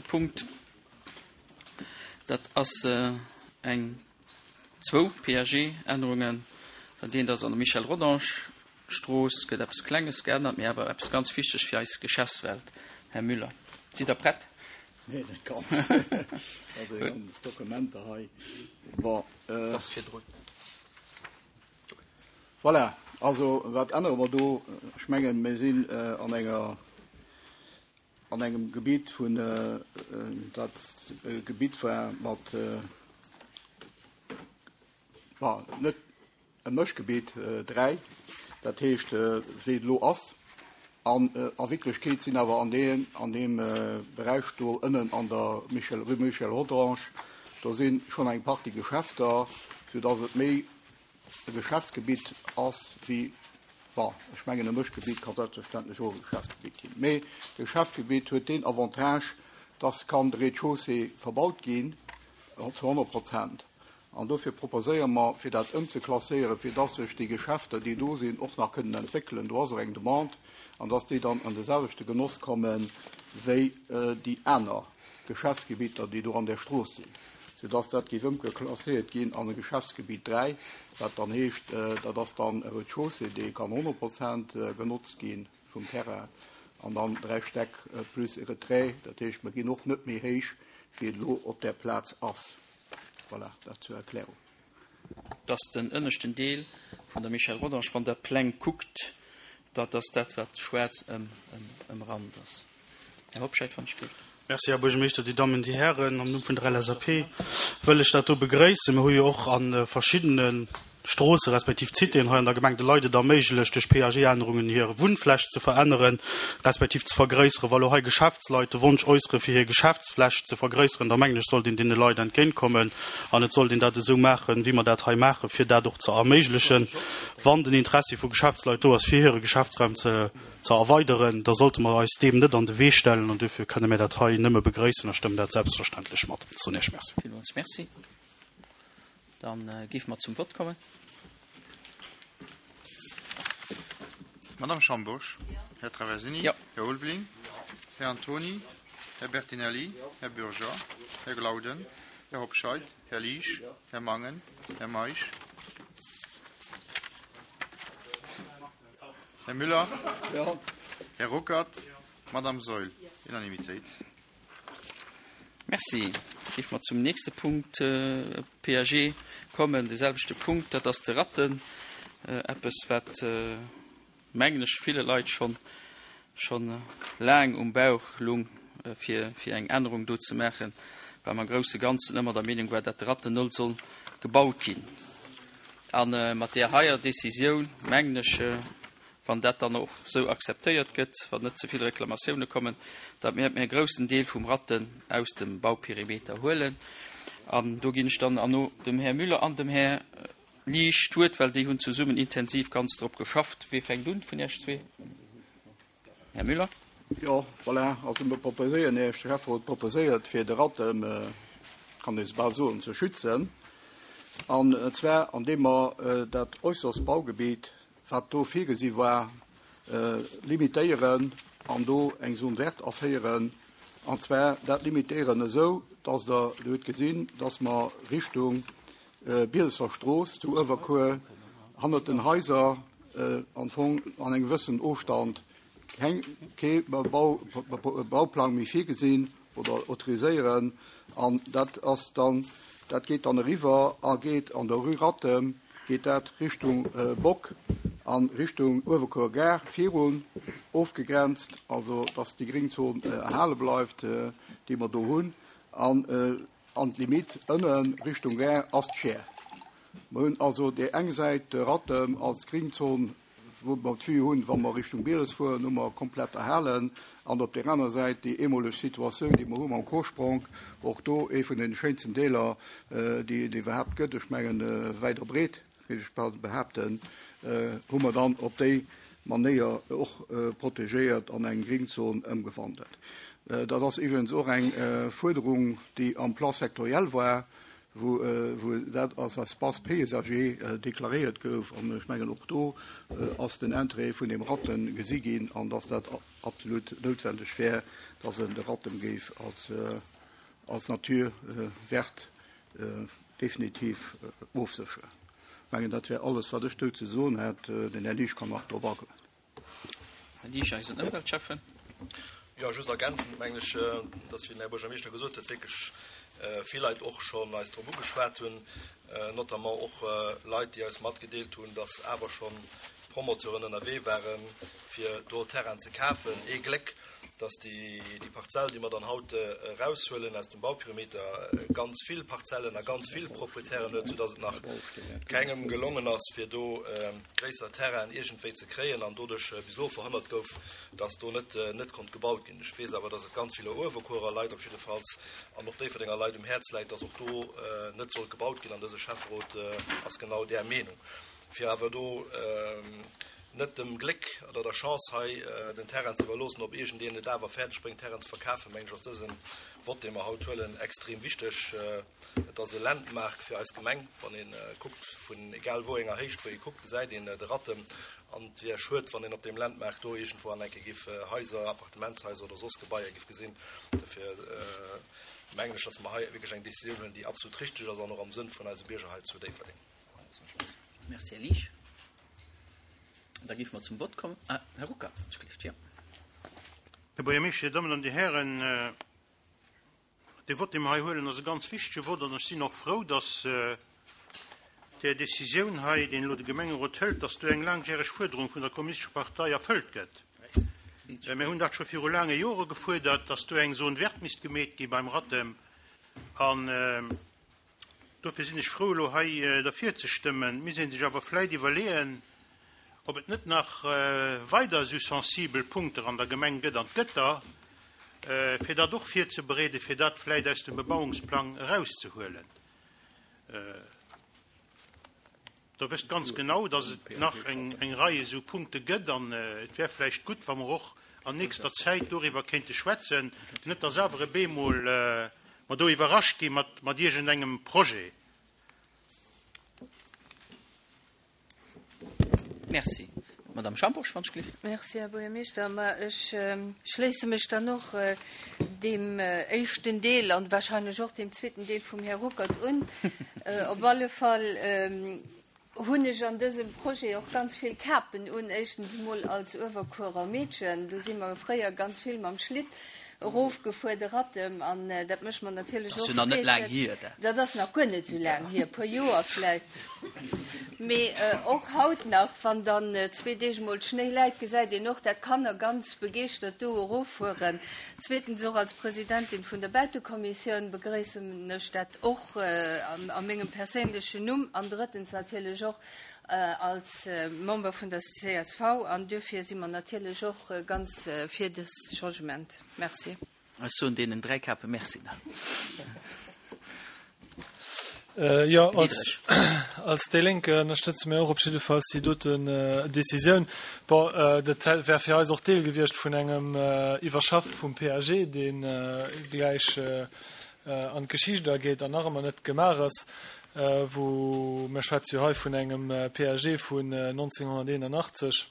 Punkt. Dat ass eng, zwou PAG-Ännerungen. Dat eent ass an der Michel Rodange Strooss gëtt eppes Klenges geännert, mee awer eppes ganz wichteg fir eis Geschäftswelt. Här Müller, sidd Der prett? Nee, net ganz. Also déi ganz Dokumenter hei. Bon. Ass virdrun. Voilà, also wat ännere mer do? Ech mengen, mir sinn an enger, an engem Gebitt vun, dat e Gebitt war mat, bon, net e Mëschgebitt 3, dat heescht wéi et elo ass. An a Wierklechkeet sinn awer an deem, an deem Beräich do ënnen an der Michel, Rue Michel Rodange, do si schonn eng Partie Geschäfter, soudass et méi e Geschäftsgebitt ass wéi, bon, ech mengen e Mëschgebitt ka selbstverständlech och e Geschäftsgebitt ginn, mee de Geschäftsgebitt huet deen Avantage, dass kann de Rez-de-chaussée verbaut ginn zu 100 Prozent. An dofir proposéiere mer, fir dat ëmzeklasséieren, fir dass sech déi Geschäfter, déi do sinn, och nach kënnen entwéckelen, do ass och eng Demande, an dass déi dann an de selwechte Genoss komme wéi déi aner Geschäftsgebitter, déi do an där Strooss sinn, soudass dat géif ëmgeklasséiert ginn an e Geschäftsgebitt 3, wat dann heescht, dat ass dann e Rez-de-chaussée, dee kann 100 Prozent genotzt gi vum Terrain, an dann 3 Stäck plus e Retrait. Dat heescht, mer ginn och net méi héich, wéi et elo op där Plaz ass. Voilà, dat zur Erklärung. Dass den ënneschten Deel vun der Michel Rodange, wann Der d'Pläng kuckt, dat ass dat, wat schwaarz ëmrand ass. Här Hobscheit, wann ech géif. Merci, Här Buergermeeschter, Dir Dammen, Dir Hären. Am Numm vun der LSAP wëll ech dat do begréissen. Mir hu jo och a verschiddene Stroosse respektiv Citéen hei an der Gemeng de Leit et erméiglecht, duerch PAG-Ännerungen hir Wunnfläch ze veränneren, respektiv ze vergréisseren. Wa lo hei Geschäftsleit de Wonsch äussere fir hir Geschäftsfläch ze vergréisseren, da mengen ech, sollt een deene Leit entgéintkommen an et sollt een dat esou maachen, wéi mer dat hei maachen, fir dat och ze erméiglechen. Wann den Interessi vu Geschäftsleit do ass, fir hire Geschäftsraum ze ze erweideren, da sollte mer eis deem net an de Wee stellen an duerfir kënne mir dat hei nëmme begréissen a stëmmen dat selbstverständlech mat. Soen Iech Merci. Villmools Merci. Dann géife mer zum Vott kommen. Madame Schambourg? Här Traversini? Jo. Här Ulveling? Här Antoni? Här Bertinelli? Här Bürger? Här Glauden? Här Hobscheit? Här Liesch? Här Mangen? Här Meisch? Här Müller? Här Ruckert? Madame Saeul? Unanimitéit. Merci. Géife mer zum nächste Punkt PAG kommen, dee selwechte Punkt, dat ass de Ratten. Eppes, wat, mengen ech, ville Leit schonn scho laang um Bauch lung, fir fir eng Ännerung do ze maachen, well mer am grousse Ganzen ëmmer der Meenung war, dat de Ratten null soll gebaut ginn. A mat där heier Décisioun, mengen ech, wann dat dann och esou akzeptéiert gëtt, wann net ze vill Reklamatioune kommen, datt mir e groussen Deel vum Ratten aus dem Bauperimeter huelen. An do ginn ech dann erno dem Här Müller an dem Här Liesch d'Wuert, well déi hunn zesummen intensiv ganz drop geschafft. Wee fänkt un vun Iech zwee? Här Müller. Jo, voilà, also mir proposéieren Iech, de Schäfferot proposéiert, fir de Ratten, kann ee bal soen, ze schützen, an zwar andeem mer dat äusserst Baugebiet, wat do virgesi war, limitéieren an do eng Zone verte aféieren, an zwar dat limitéieren esou, dass Der, Dir hutt gesinn, dass mer Richtung Bielesser Strooss zu Uewerkuer hannert den Haiser am Fong an engem gewëssenen Ofstand keng, kee Bauplang méi virgesinn oder autoriséieren. An dat ass dann, dat geet dann eriwwer a geet an der Rue Rattem, geet dat Richtung Bock a Richtung Uewerkuer Gare virun, ofgegrenzt, also dass déi Gringzon erhale bleift, déi mer do hunn. An An d'Limite ënne Richtung Gare ass d'Schär. Mer hunn also déi eng Säit de Rattem als Gringzon, wou mer d'Vue hunn, wa mer Richtung Bieles fueren, hu mer komplett erhalen. An op där aner Säit déi eemoleg Situatioun, déi mer hu mam Kosprong, och do ee vun de schéinsten Deeler, déi et iwwerhaapt gëtt, ech mengen wäit a breet. géif ech bal behaapten, hu mer dann op déi Manéier och protegéiert an eng Gringzon ëmgewandelt. Dat ass iwwregens och eng Fuerderung, déi am Plan sectoriel war, wou dat als Espace paysager deklaréiert gouf. An ech mengen, och do ass den Interêt vun deem Ratten gesi ginn an dass dat absolut noutwendeg wär. dass en de Rattem géif als, als Naturwert definitiv ofsécheren. Ech mengen, dat wär alles, wat ech do ze soen hätt. Den Här Liesch kann nach drop agoen. Här Liesch, eisen Ëmweltschäffen. Jo, just ergänzend mengen ech, dass, wéi den Här Buergermeeschter gesot huet, wierklech vill Leit och schonn eis drop ugeschwat hunn, notamment och Leit, déi eis matgedeelt hunn, dass awer schonn Promoteuren ënnerwee waren, fir do Terrain ze kafen. Ee Gléck, dass déi Parzell, déi mer dann haut eraushuelen aus dem Bauperimeter, ganz vill Parzellen a ganz vill Proprietären huet, soudass et nach kengem gelongen ass, fir do gréisser Terrainen iergendwéi ze kréien an doduerch bis elo verhënnert gouf, dass do net net konnt gebaut ginn. Ech weess awer, dass et ganz ville Uewerkuerer Leit op jiddefalls an och Déifferdenger Leit um Häerz läit, dass och do net sollt gebaut ginn an dëse Schäfferot ass genau där Meenung. Fir awer do net dem Gléck oder der Chance hei den Terrain ze iwwerloossen, ob iergendeen et awer fäerdeg bréngt, Terrain ze verkafen, mengen ech, ass dëse Vott, dee mer haut huelen, extrem wichteg. Et ass e Landmark fir eis Gemeng. Wann ee kuckt, vun egal wou enger Héicht wou ee kuckt, gesäit een de Rattem. An et wier schued, wann een op deem Landmark do iergendwou an enke giff Haiser, Appartementshaiser oder soss Gebaier giff gesinn. Dofir mengen ech, dass mer hei wierklech eng Décisioun huelen, déi absolut richteg ass an och am Sënn vun eise Bierger hei zu Déifferdeng. Merci, Här Liesch. Da géife mer zum Vott kommen. Ah, Här Ruckert, ech gelift, jo. Här Buergermeeschter, Dir Dammen an Dir Hären, dee Vott, dee mer hei huelen, ass e ganz wichtege Vott an ech sinn och frou, dass där Décisioun hei, deen elo de Gemengerot hëlt, dass do eng laangjäreg Fuerderung vun der Kommunistescher Partei erfëllt gëtt. Mir hunn dat scho viru laange Jore gefuerdert, dass do eng Zone verte misst gemeet gi beim Rattem an, Dofir sinn ech frou, elo hei derfir ze stëmmen. Et misst ee sech awer vläit iwwerleeën, ob et net nach weider esou sensibel Punkter an der Gemeng gëtt, an et gëtt der, fir dat och virzebereeden, fir dat vläit aus dem Bebauungsplang erauszehuelen. Der wësst ganz genau, dass et nach eng Rei esou Punkte gëtt an et wär vläicht gutt, wa mer och an nächster Zäit doriwwer kéinte schwätzen, net dass awer e bemol mer do iwwerrascht gi mat iergendengem Projet. Merci. Madame Schambourg, wann ech gelift. Merci, Här Buergermeeschter. Ma ech schléisse mech dann och deem éischten Deel an wahrscheinlech och deem zweeten Deel vum Här Ruckert un. Op alle Fall hunn ech an dësem Projet och ganz vill Kapen un. Éischtens emol als Uewerkuerer Meedchen. Do si mer fréier ganz vill mam Schlitt erofgefuer, de Rattem, an dat mécht mer natierlech och Freed. Dat ass jo nach net laang hier, dat. Dat ass nach guer net esou laang hier, e puer Joer vläicht. Mee och haut nach, wann dann zwee Deeg emol Schnéi läit, gesäit een och, dat d'Kanner ganz begeeschtert do eroffueren. Zweetens, och als Presidentin vun der Bautekommissioun begrëissen ech dat och a mengem perséinlechen Numm. An drëttens natierlech och als Member vun der csv. An duerfir si mer natierlech och ganz fir dës Changement. Merci. Ech soen deenen 3 Kape Merci. Jo, als, als déi Lénk ënnerstëtze mir och op jiddefalls déi doten Décisioun. Bon, dat wär fir eis och Deel gewiescht vun engem Iwwerschaffe vum PAG, dee gläich an d'Geschicht ageet an nach ëmmer net gemaach ass, wou mir schwätze jo hei vun engem PAG vun 1981.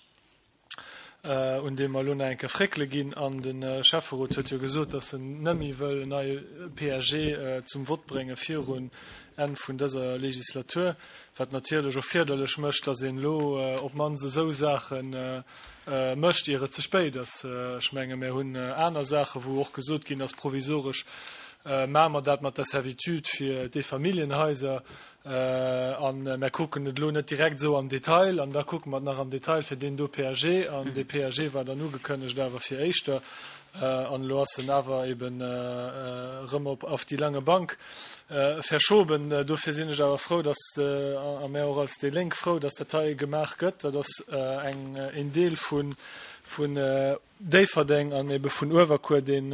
un deem mer elo nach eng Kéier fréckele ginn. An de Schäfferot huet jo gesot, datt en net méi wëll en neie PAG zum Vott brénge virun Enn vun dëser Legislatur, wat natierlech och fierderlech mécht, datt een elo op d'mannst esou Saache mécht, ier et ze spéit ass. Ech menge mir hunn aner Saache wou och gesot ginn ass, provisoresch maache mer dat mat der Servitude fir d'Eefamilljenhaiser, An mär kucken et elo net direkt esou am Detail, an da kucke mer et nach am Detail fir deen do PAG. An dee PAG war dann ugekënnegt awer fir éischter, an elo ass en awer eben erëm op auf die lange Bank verschoben. Dofir sinn ech awer frou, dass, a mär och als déi Lénk frou, dass dat hei gemaach gëtt. Dat ass eng, een Deel vun, vun Déifferdeng an ebe vun Uewerkuer, deen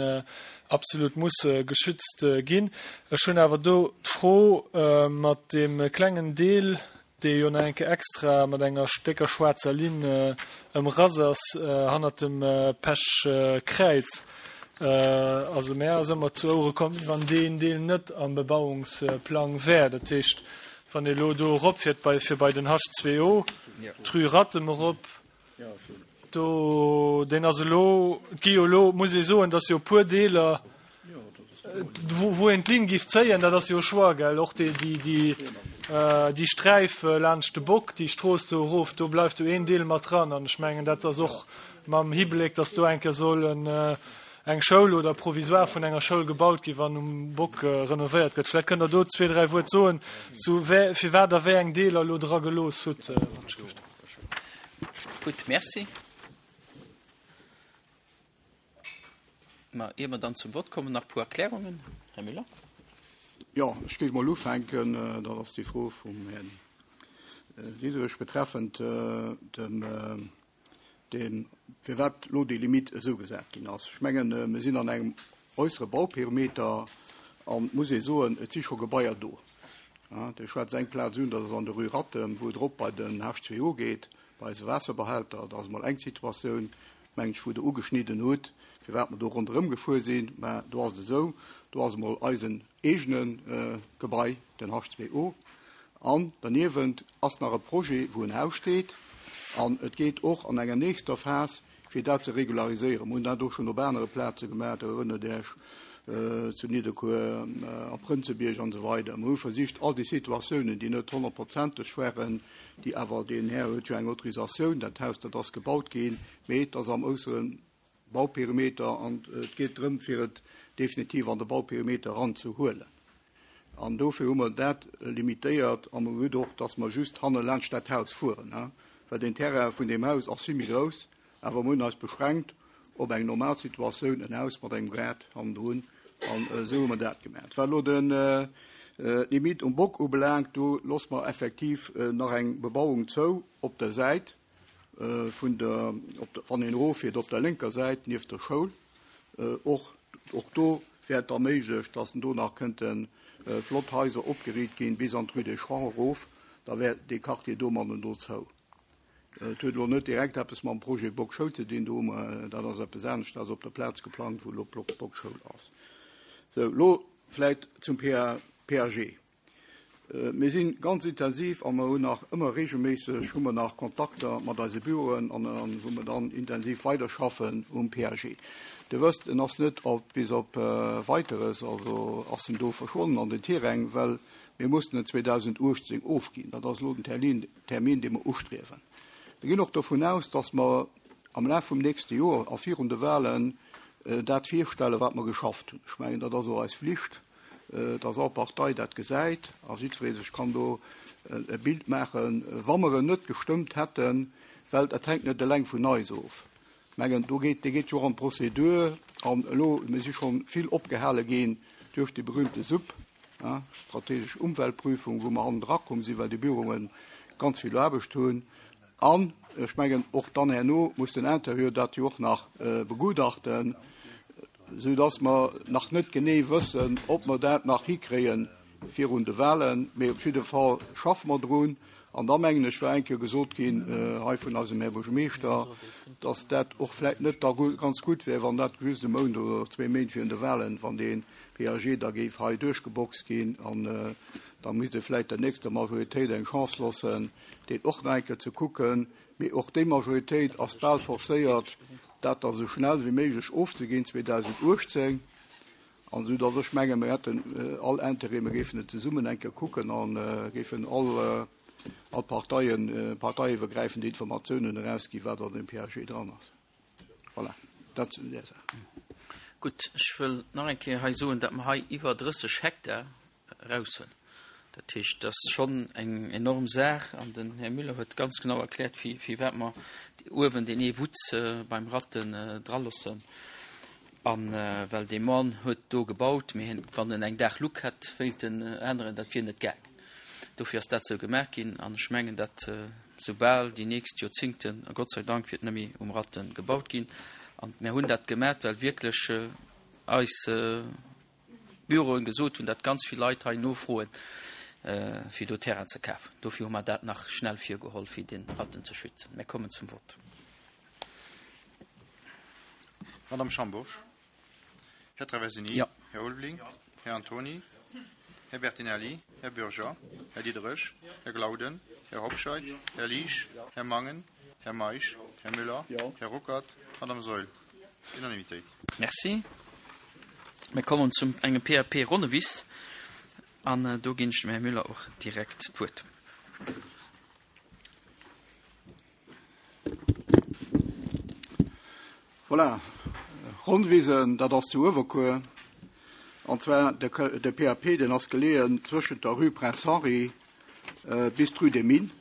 absolut muss geschützt ginn. Ech hunn awer do d'Fro mat deem klengen Deel, dee jo nach eng Kéier extra mat enger décker schwaarzer Linn ëmrass ass, hannert dem Pechkräiz. Also mär ass ëmmer zu Ouere komm, wéi wann deen Deel net am Bebauungsplang wär. Dat heescht, wann ee lo do eropfiert bei, fir bei den H2O, d'Rue Rattem erop. Do, deen ass elo, et gi jo elo, muss ee soen, dass jo e puer Deeler, wou een d'Linn géif zéien, dat ass jo e Choix, gell, och déi, déi, déi, déi Sträif laanscht de Bock, déi Strooss do erof, do bleift jo een Deel mat dran. An ech mengen, dat ass och mam Hibléck, dass do eng Kéier soll en, eng Schoul oder provisoire vun enger Schoul gebaut ginn, wann um Bock renovéiert gëtt. Vläicht kënnt Der do zwee, dräi Wuert soen, zu firwat Der wéi eng Deeler elo dra gelooss hutt, wann ech géif. Gutt, Merci. Ma ier mer dann zum Vott kommen, nach e puer Erklärungen. Här Müller. Jo, ech géif mol ufänken, dat ass déi Fro vum Här Diderich betreffend dem, dem, firwat elo déi Limite esou gesat ginn ass. Ech mengen, mir sinn an engem äussere Bauperimeter an et muss ee soen, et si scho Gebaier do. Dir schwätzt eng Plaz un, dat ass an der Rue Rattem, wou et erop bei den H2O geet, bei eise Waasserbehälter. Dat ass emol eng Situatioun, mengen ech, wou Der ugeschnidden hutt, firwat mer do ronderëm gefuer sinn. Mä do ass et esou, do ass emol eisen eegene Gebai, den H2O, an derniewent ass nach e Projet, wou en Haus steet. An et geet och an enger nächster Phas fir dat ze regulariséieren. Mer hunn dat och schonn op anere Plaze gemaach, Der erënnert Iech, zu Nidderkuer, am Prënzebierg an esou weider. Mer hu versicht, all déi Situatiounen, déi net honnertprozenteg waren, déi awer, deen Här huet jo eng Autorisatioun, dat Haus, dat ass gebaut ginn, mee et ass am äussere Bauperimeter an et geet drëm, fir et definitiv an de Bauperimeter eranzehuelen. An dofir hu mer dat limitéiert a mer hunn och, dass mer just hanne laanscht dat Haus fueren, well den Terrain vun deem Haus ass vill méi grouss, awer mer hunn eis beschränkt op eng normal Situatioun, en Haus mat engem Gaart hannendrun, an esou hu mer dat gemaach. Wat elo d'Limite um Bock ubelaangt, do loosse mer effektiv nach eng Bebauung zou op der Säit vun der, wann een eroffiert op der lénker Säit nieft der Schoul. Och, och do wär et da méiglech, dass do nach kënnte flott Haiser opgeriit ginn bis an d'Rue des Champs erof. Da wär dee Quartier domannen do zou. Et huet elo net direkt eppes mam Projet Bock Schoul ze dinn. Do hu mer, dat ass eppes anescht, dat ass op der Plaz geplangt, wou elo d'Bock Schoul ass. Sou, elo vläicht zum PAG. Mir si ganz intensiv a mer hunn nach ëmmer regelméisseg hu mer nach Kontakter mat eise Büroen an wou mer dann intensiv weiderschaffen um PAG. Dir wësst, en ass net op bis op Weiteres, also ass en do verschwonnen an den Tiräng, well mir mussten en 2018 ofginn. Dat ass elo den Termin, Termin dee mer ustriewen. Mir ginn och dovun aus, dass mer am Laf vum nächste Joer a virun de Wahlen dat virstellen, wat mer geschafft hunn. Ech mengen, dat ass och eis Flicht. dass all Partei dat gesäit a jiddweree sech kann do e Bild maachen, wa mer en net gestëmmt hätten, well dat hänkt net eleng vun eis of. Ech mengen, do geet, dee geet jo och an d'Prozedur an elo, mir si scho vill opgehale ginn duerch déi berühmte SUP, strategesch Umweltprüfung, wou mer hannendra komm sinn, well déi Büroe ganz vill Aarbecht hunn. An ech mengen, och dann herno muss den Interieur dat jo och nach begutachten, soudass mer nach net genee wëssen, ob mer dat nach hikréie virun de Wahlen. Mee op jidde Fall schaffe mer drun. An da mengen ech, war eng Kéier gesot ginn hei vun eisem Här Buergermeeschter, dass dat och vläicht net da ganz gutt wär, wann dat just e Mount oder zwee Méint virun de Wahlen, wann dee PAG da géif hei duerchgeboxt ginn. An da misst ee vläicht der nächster Majoritéit eng Chance loossen, deen och nach eng Kéier ze kucken. Mee och déi Majoritéit ass bal forcéiert, dat da sou schnell wéi méiglech ofzeginn 2018. An esou datt ech mengen, mir hätten all Intérêt, mir géifen et zesummen eng Kéier kucken a géifen all all Parteien, parteiiwwergräifend Informatiounen erausginn, wat an deem PAG dran ass. Voilà, dat zu där Saach. Gutt, ech wëll nach eng Kéier hei soen, datt mer hei iwwer 30 Hektar eraushëllen. Dat heescht, dat ass schonn eng enorm Saach an den Här Müller huet ganz genau erkläert, firwat mer uewen deen ee Wutz beim Ratten draloossen. A well dee Mann huet do gebaut, mee hien, wann en eng Daachluck hätt wéilten änneren, dat wier net gaangen. Dofir ass dat esou gemaach ginn an ech mengen, dat soubal déi nächst Joerzingten, a Gott sei Dank wiert net méi um Ratten gebaut ginn. An mir hunn dat gemaach, well wierklech eis Büroen gesot hunn, datt ganz vill Leit hei nofroen, fir do Terrain ze kafen. Dofir hu mer dat nach schnell virgeholl, fir den Ratten ze schützen. Mir kommen zum Vott. Madame Schambourg, Här Traversini, Ja. Här Ulveling, Här Antony, Här Bertinelli, Här Bürger, Här Diderich, Här Glauden, Här Hobscheit, Här Liesch, Här Mangen, Här Meisch, Här Müller. Här Ruckert. Madame Saeul. Unanimitéit. Merci. Mir kommen zum engem PAP Ronnewiss an do ginn ech dem Här Müller och direkt d'Wuert. Voilà, Ronnwisen, dat ass zu Uewerkuer. An zwar de PAP, deen ass geleeën zwëschent der Rue Prince Henri bis d'Rue des Mines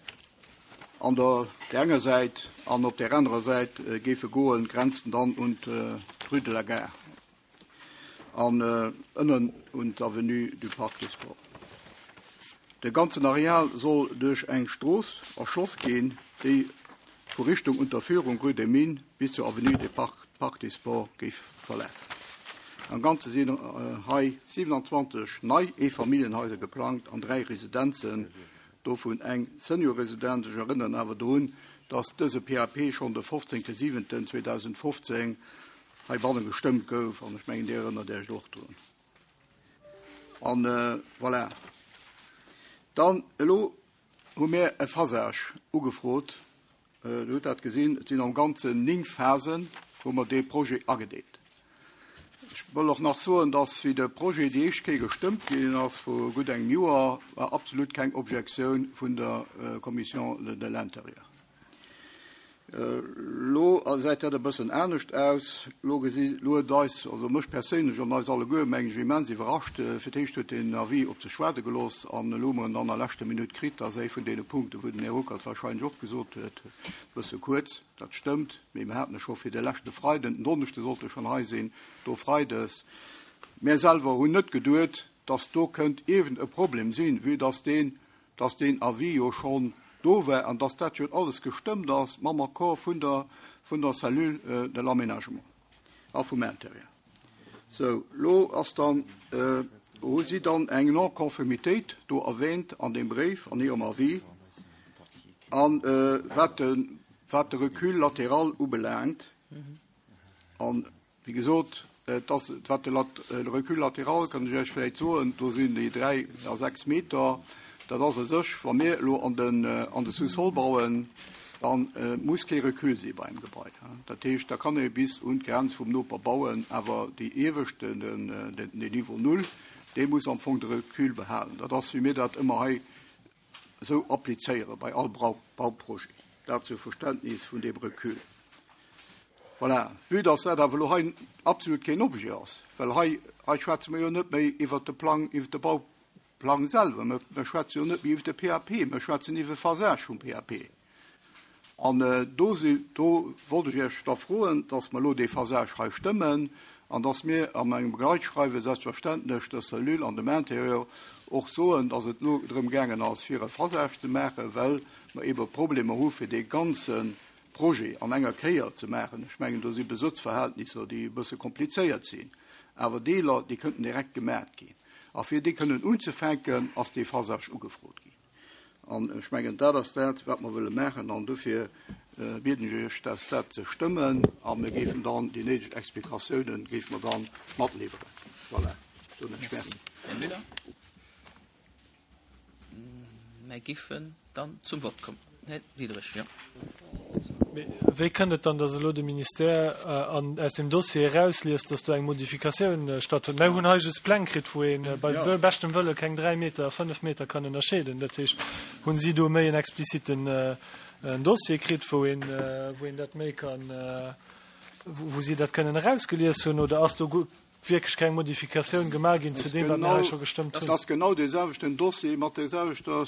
an der där enger Säit an op där anerer Säit géif e goen, grenzt en dann un d'Rue de la Gare an ënnen un d'Avenue du Parc des Sports. De ganzen Areal soll duerch eng Strooss erschloss ginn, déi vu Richtung Unterführung Rue des Mines bis zur Avenue des Parc des Sports géif verlafen. Am Ganze sinn hei 27 nei Eefamilljenhaiser geplangt an 3 Residenzen, dovun eng Seniorresidenz. Ech erënneren awer drun, dass dëse PAP schonn de 15.07.2015 heibanne gestëmmt gouf, an ech mengen, Dir erënnert Iech och drun. An voilà. Dann elo hu mir e Phasage ugefrot. Dir hutt dat gesinn, et sinn am Ganzen 9 Phasen, wou mer dee Projet agedeelt. Ech wëll och nach soen, dass, wéi de Projet déi éischt Kéier gestëmmt ginn ass, vru gutt engem Joer, war absolut keng Objektioun vun der Commission de l'Intérieur. Elo gesäit dat e bëssen anescht aus. Elo gesi, elo huet eis, also mech perséinlech an eis alleguer, meng ech, immens iwwerrascht. Fir d'éischt huet deen Avis op sech waarde gelooss an elo hu mer en dann a leschter Minutt kritt. Dat ass ee vun deene Punkten, wou den Här Ruckert wahrscheinlech och gesot huet, e bësse kuerz. Dat stëmmt, mee mir haten e scho fir de leschte Freiden, den Donneschde sollt e schonn hei sinn, do freides. Mär selwer hunn net geduet, dass do kënnt iergend e Problem sinn, vue dass deen dass deen Avis jo schonn do war an dass dat jo alles gestëmmt ass mam Accord vun der, vun der Cellule de l'aménagement a vum Intérieur. Sou, elo ass dann, hu si dann eng Non-conformitéit do erwähnt an deem Bréif, an hirem Avis, a wat de, wat de Recul latéral ubelaangt. An Wéi gesot, et ass, wat de Recul latéral, kann ech Iech vläicht soen, do sinn déi 3 a 6 Meter, dat ass u sech, wa mir elo an den, an de Sous-sol bauen, da muss kee Recul si bei engem Gebai. Dat heescht, da kann ee bis un d'Grenz vum Noper bauen, awer déi iewescht, den, den Niveau null, dee muss am Fong de Recul behalen. Dat ass, wéi mir dat ëmmer hei esou applizéiere bei all Bauprojet. Dat zur Verständnis vun deem Recul. Voilà. Vue dass dat awer elo hei absolut keen Objet ass, well hei, hei schwätze mer jo net méi iwwert de Plang, iwwert de Bauplang selwer, mer schwätze jo net méi iwwert de PAP, mer schwätzen iwwer e Phasage vum PAP. An do si, do wollt ech Iech da froen, dass mer elo dee Phasage hei stëmmen an dass mir an engem Begleitschreiwe selbstverständlech der Cellule an dem Intérieur och soen, dass et elo drëm gaangen ass, fir e Phasage ze maachen, well mer eebe Problemer hu fir dee ganze Projet an enger Kéier ze maachen. Ech mengen, do si Besëtzverhältnisser, déi e bësse komplizéiert sinn, awer Deeler, déi kënnten direkt gemaat ginn. A fir déi kënnen unzefänken, ass dee Phasage ugefrot ginn. An ech mengen, dat ass dat, wat mer wëlle maachen. An dofir bieden ech Iech, dat dat ze stëmmen. A mir géifen dann déi néideg Explikatiounen géife mer dann matliwweren. Voilà, soen ech Merci. Här Müller. Mer giffen dann zum Vott kommen. Här Diderich, jo. Mee wéi kënnt et dann, dass elo de Ministère an aus dem Dossier erausliest, dass do eng Modifikatioun stattfënnt? Mer hunn hei just Pläng kritt, wou ee bei beschtem Wëlle keng 3 Meter a 5 Meter kann ënnerscheeden. Dat heescht, hunn si do méi en expliziten Dossier kritt, wou een, wou een dat méi kann, wou si dat kënnen erausgelies hunn, oder ass do wierklech keng Modifikatioun gemaach ginn zu deem, wat mir hei scho gestëmmt hunn. Dat ass genau dee selwechten Dossier mat där selwechter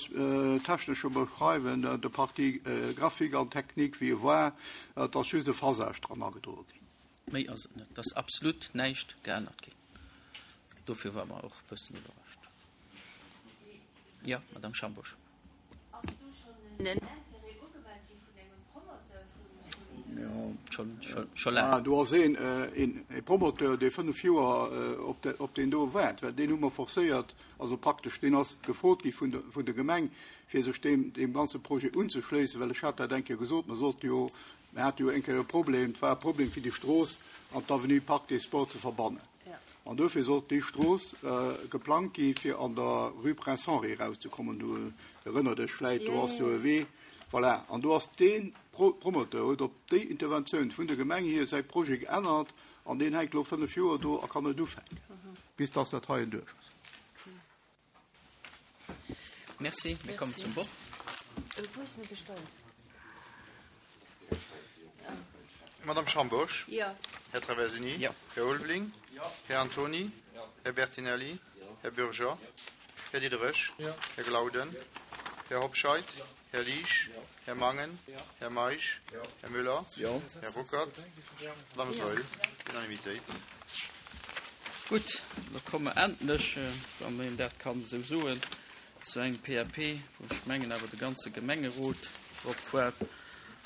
technescher Beschreiwung, der Partie graphique an technique, wéi e war. Et ass just e Phasage dran agedroe ginn. Méi ass et net. Et ass absolut näischt geännert ginn. Dofir ware mer och e bëssen iwwerrascht. Jo, Madame Schambourg. Ass do schonn en Intérêt ugemellt gi vun engem Promoteur vun? Scho laang. Do ass een e Promoteur, dee 5 Joer op deen do waart, well deen hu mer forcéiert, also praktesch deen ass gefrot gi vun der Gemeng, fir sech deem ganze Projet unzeschléissen, well ech hat dat eng Kéier gesot, mer sollte jo, mer hate jo eng Kéier e Problem, et war e Problem fir déi Strooss an d'Avenue Parc des Sports ze verbannen. An dofir sollt déi Strooss geplangt gi fir an der Rue Prince Henri erauszekommen. Du erënnert dech vläit, do ass jo e Wee. Voilà, an do ass dee Promoteur huet op déi Interventioun vun der Gemeng hier säi Projet geännert an deen hänkt elo 5 Joer do a kann net ufänken, bis dass dat heien duerch ass. Merci. Mir kommen zum Vott. Madame Schambourg? Jo. Här Traversini? Jo. Här Ulveling? Här Antony? Här Bertinelli? Här Bürger? Här Diderich? Här Glauden? Här Hobscheit? Här Liesch? Här Mangen? Här Meisch? Här Müller? Här Ruckert? Madame Saeul? Unanimitéit. Gutt, da komme mer endlech, wann een dat kann esou soen, zu engem PAP, wou ech mengen awer de ganze Gemengerot drop waart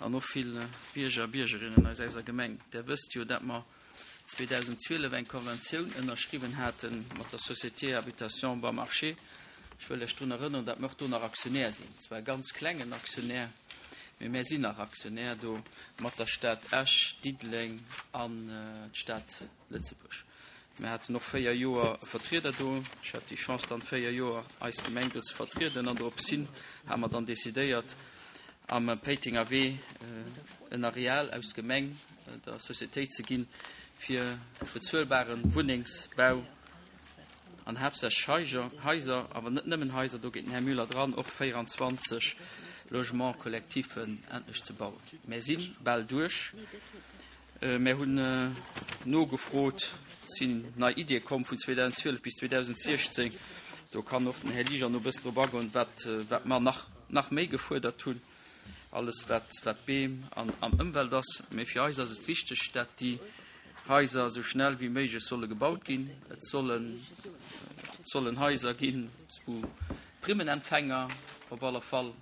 an och vill Bierger a Biergerinnen aus eiser Gemeng. Der wësst jo, dat mer 2012 eng Konventioun ënnerschriwwen hate mat der Société Habitation Beaumarchais. Ech wëll lech drun erënneren, dat mer och do nach Aktionär sinn, zwar e ganz klengen Aktionär, mee mär sinn nach Aktionär do mat der Stad Esch, Diddeleng an d'Stad Lëtzebuerg. Mir haten och 4 Joer e Vertrieder do. Ech hat déi Chance dann 4 Joer eis Gemeng do ze vertrieden an dorops hin ha mer dann decidéiert am Péitenger Wee en Areal aus Gemeng der Sociétéit ze ginn fir bezuelbaren Wunnengsbau an haaptsächlech Haiser, awer net nëmmen Haiser, do geet den Här Müller dran, och 24 Logements collectifs endlech ze bauen. Mär si bal duerch. Mär hunn nogefrot, et sinn nei Iddie komm vun 2012 bis 2016. Do kann och den Här Liger no e bëssen drop agoen, wat, wat mer nach, nach méi gefuerdert hunn, alles wat, wat Beem an, an Ëmwelt ass. Mee fir eis ass et wichteg, dat déi Haiser esou schnell wéi méiglech solle gebaut ginn. Et sollen, et sollen Haiser ginn, wou Primmenempfänger op alle Fall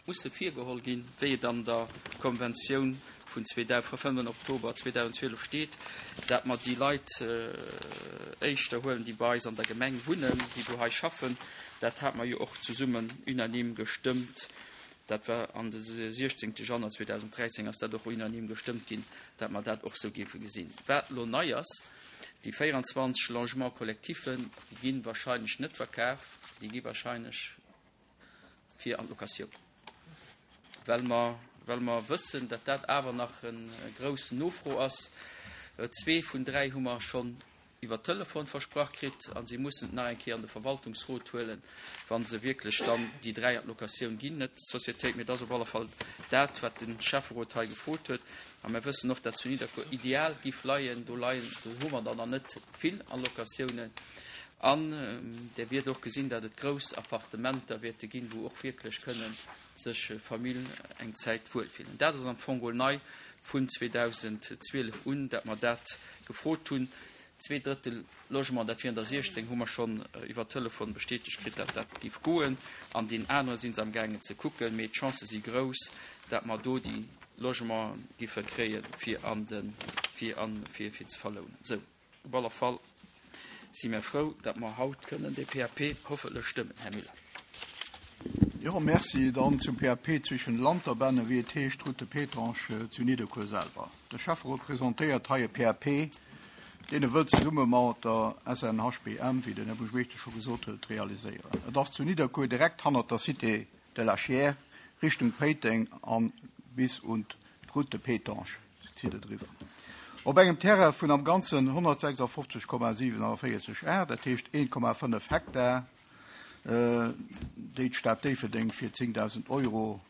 musse virgeholl ginn, wéi et an der Konventioun vun 5 Oktober 2012 steet, dat mer déi Leit éischter huelen, déi bei eis an der Gemeng wunnen, déi wou hei schaffen. Dat hate mer jo och zesummen unanime gestëmmt. Dat war an de 16. Januar 2013 ass dat och unanime gestëmmt ginn, dat mer dat och esou géife gesinn. Wat elo nei ass, déi 24 Logements collectifs, déi gi wahrscheinlech net verkaf, déi gi wahrscheinlech fir an d'Locatioun, well mer, well mer wëssen, datt dat awer nach e grouss Nofro ass. Zwee vun dräi hu mer schonn iwwer Telefon versprach kritt a si mussen et nach eng Kéier an de Verwaltungsrot huelen, wa se wierklech dann déi dräi an d'Locatioun ginn. Net d'Sociétéit, mee et ass op alle Fall dat, wat de Schäfferot hei gefrot huet. A mer wëssen och, datt zu Nidderkuer ideal giff leien. Do leien, do hu mer der nach net vill an Locatiounen. An Der wiert och gesinn, datt et grouss Appartementer wäerte ginn, wou och wierklech kënne sech Famille eng Zäit wuelfillen. Dat ass am Fong geholl nei vun 2012 un, datt mer dat gefrot hunn. Zweedrëttel Logement, dat wieren der 16, hu mer schonn iwwer Telefon bestätegt kritt, datt dat géif goen. An deen anere si se amgaangen ze kucken. Mee d'Chancë si grouss, datt mer do déi Logementen géife kréie fir an de, fir an, fir, fir ze verlounen. Esou. Op alle Fall si mir frou, datt mer haut kënnen dee PAP hoffentlech stëmmen. Här Müller. Jo, merci. Dann zum PAP zwischen Lanterbänne, wéi et heescht, Route de Pétange zu Nidderkuer selwer. De Schäfferot presentéiert hei e PAP, deen e wëllt zesumme mat der SNHBM, wéi den Här Buergermeeschter scho gesot huet, realiséieren. Et ass zu Nidderkuer direkt hannert der Cité de la Chiers, Richtung Péiteng an bis un d'Route de Pétange. Zitt et eriwwer. Op engem Terrain vun am Ganzen 156,47 Ar, dat heescht 1,5 Hektar, déi d'Stad Déifferdeng fir 10.000 Euro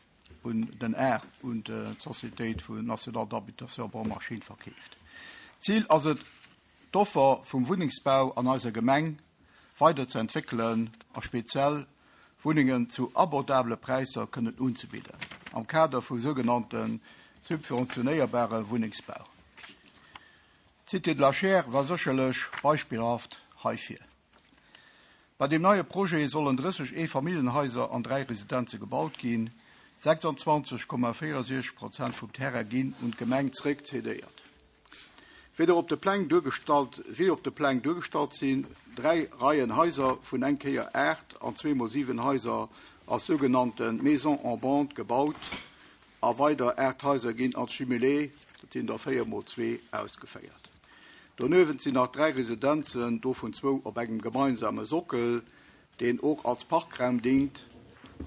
un den Ar un d'Sociétéit vun Nationale d'Habitation Bon Marché verkeeft. Zil ass et, d'Offer vum Wunnengsbau an eiser Gemeng weider ze entwéckelen a speziell Wunnengen zu abordabele Präisser kënnen unzebidden, am Kader vu sougenannte subventionéierbare Wunnengsbau. D'Cité de la Chaire war sécherlech beispillhaft heifir. Bei deem neie Projet sollen 30 Eefamilljenhaiser an 3 Residenze gebaut ginn. 26,64 Prozent vum Terrain ginn un d'Gemeng zréck cedéiert. Wéi der op de Pläng duergestallt, wéi op de Pläng duergestallt sinn, 3 Reien Haiser vun eng Kéier 8 an zweemol 7 Haiser als sougenannte Maisons en bande gebaut a weider 8 Haiser ginn als Jumelés, dat sinn der 4 mol 2, ausgeféiert. Doniewent sinn nach 3 Residenzen, dovun zwou op engem gemeinsame Sockel, deen och als Parkraum dingt.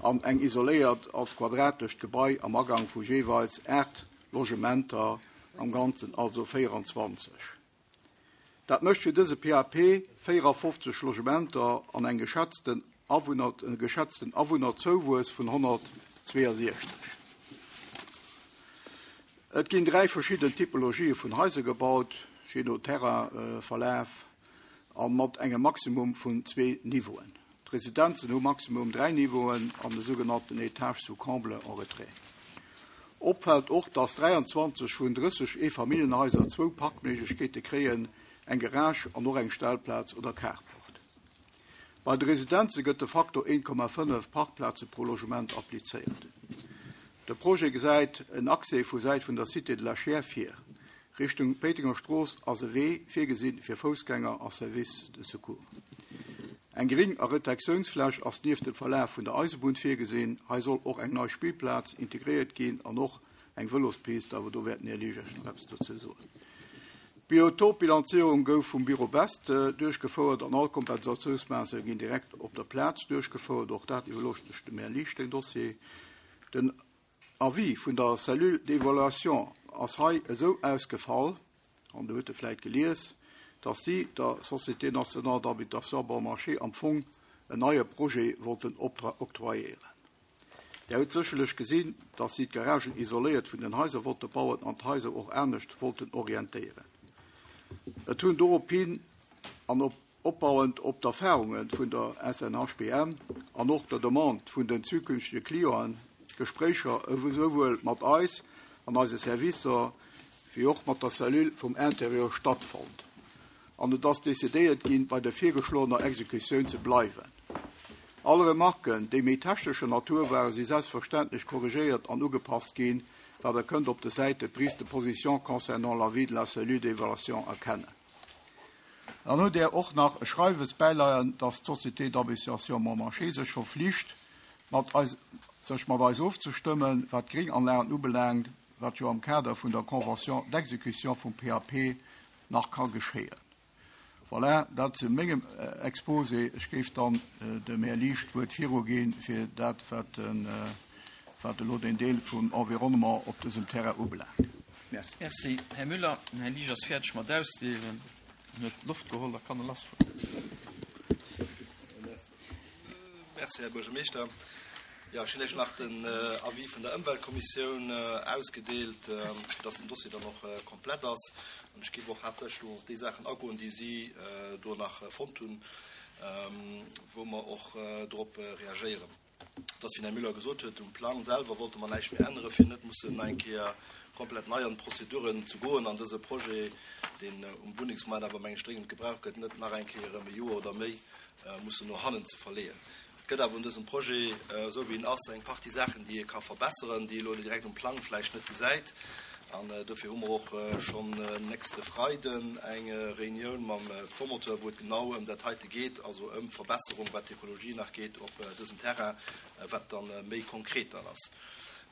an eng isoléiert als quadratescht Gebai am Agang vu jeeweils 8 Logementer, am Ganzen also 24. Dat mécht fir dëse PAP 54 Logementer an eng geschätzten Awunner, e geschätzten Awunnerzouwuess vun 162. Et ginn 3 verschidden Typologië vun Haiser gebaut, jee no Terrainverlaf a mat engem Maximum vun zwee Niveauen. D'Residenzen hu maximum 3 Niveauen an de sougenannten Étage sous comble en retrait. Opfält och, dass 23 vun 30 Eefamilljenhaiser zwou Parkméiglechkeete kréien, eng Garage an och eng Stellplaz oder Carport. Bei de Residenze gëtt de Faktor 1,5 Parkplaze pro Logement applizéiert. De Projet gesäit en Accès vu Säit vun der Cité de la Chiers vir. Richtung Péitenger Strooss ass e Wee virgesinn fir Foussgänger a Service de secours. Eng Gring a Retektiounsfläch ass nieft dem Verlaf vun der Eisebunn virgesinn. Hei soll och eng nei Spillplaz integréiert ginn an och eng Vëlospist, awer do wäert den Här Liesch Iech nach eppes dozou soen. D'Biotopbilanzierung gouf vum Büro Best duerchgefouert an all Kompensatiounsmaassname ginn direkt op der Plaz duerchgefouert. Och dat iwwerloossen ech dem Här Liesch, deen Dossier. Den Avis vun der Cellule d'évaluation ass hei esou ausgefall, an Der hutt e vläit gelies, dass si der Société nationale d'habitation Bon Marché am Fong en neie Projet wollten octroyéieren. Der hutt sécherlech gesinn, dass si d'Garagen isoléiert vun den Haiser wollte bauen an d'Haiser och anescht wollten orientéieren. Et hunn dorophin an op Opbauend op d'Erfarunge vun der SNHBM an och der Demande vun den zukünftege Clienten, Gespréicher esouwuel mat eis an eise Servicer wéi och mat der Cellule vum Intérieur stattfonnt an et ass decidéiert ginn, bei der virgeschloener Exekutioun ze bleiwen. All Remarken, déi méi technescher Natur waren, si selbstverständlech korrigéiert an ugepasst ginn, wat Der kënnt op de Säite Prise de position concernant l'avis de la cellule d'évaluation erkennen. Dann hutt Där och nach e Schreiwes bäileien, dass d'Société d'Habitation Montmarché sech verflicht, mat eis, sech mat eis ofzestëmmen, wat d'Grénganlagen ubelaangt, wat jo am Kader vun der Convention d'exécution vum PAP nach ka geschéien. Voilà, dat zu mengem Exposé. Ech géif dann dem Här Liesch d'Wuert viruginn, fir dat, wat den, wat elo den Deel vum Environnement op dësem Terrain ubelaangt. Merci. Merci, Här Müller. Den Här Liesch ass fäerdeg mat Ausdeelen. En huet Loft geholl, da kann e lassfueren. Merci, Här Buergermeeschter. Jo, ech hunn Iech nach den Avis vun der Ëmweltkommissioun ausgedeelt, fir dass den Dossier dann och komplett ass. An ech géif och haaptsächlech elo op déi Saachen agoen, déi si do nach fonnt hunn, wou mer och drop reagéieren. Et ass, wéi den Här Müller gesot huet, um Plang selwer wollte mer näischt méi änneren, fir net mussen nach eng Kéier komplett nei an d'Prozeduren ze goen an dëse Projet, deen um Wunnengsmaart awer, meng ech, dréngend gebraucht gëtt, net nach eng Kéier erëm e Joer oder méi mussen no hannen ze verleeën. Et gëtt awer un dësem Projet, esou wéi en ass, eng Partie Saachen, déi ee ka verbesseren, déi ee elo direkt um Plang vläicht net gesäit. An dofir hu mer och schonn nächste Freiden eng Reunioun mam Promoteur, wou et genau ëm dat heite geet, also ëm d'Verbesserung, wat d'Ekologie nach geet op dësem Terrain, wat da méi konkret dann ass.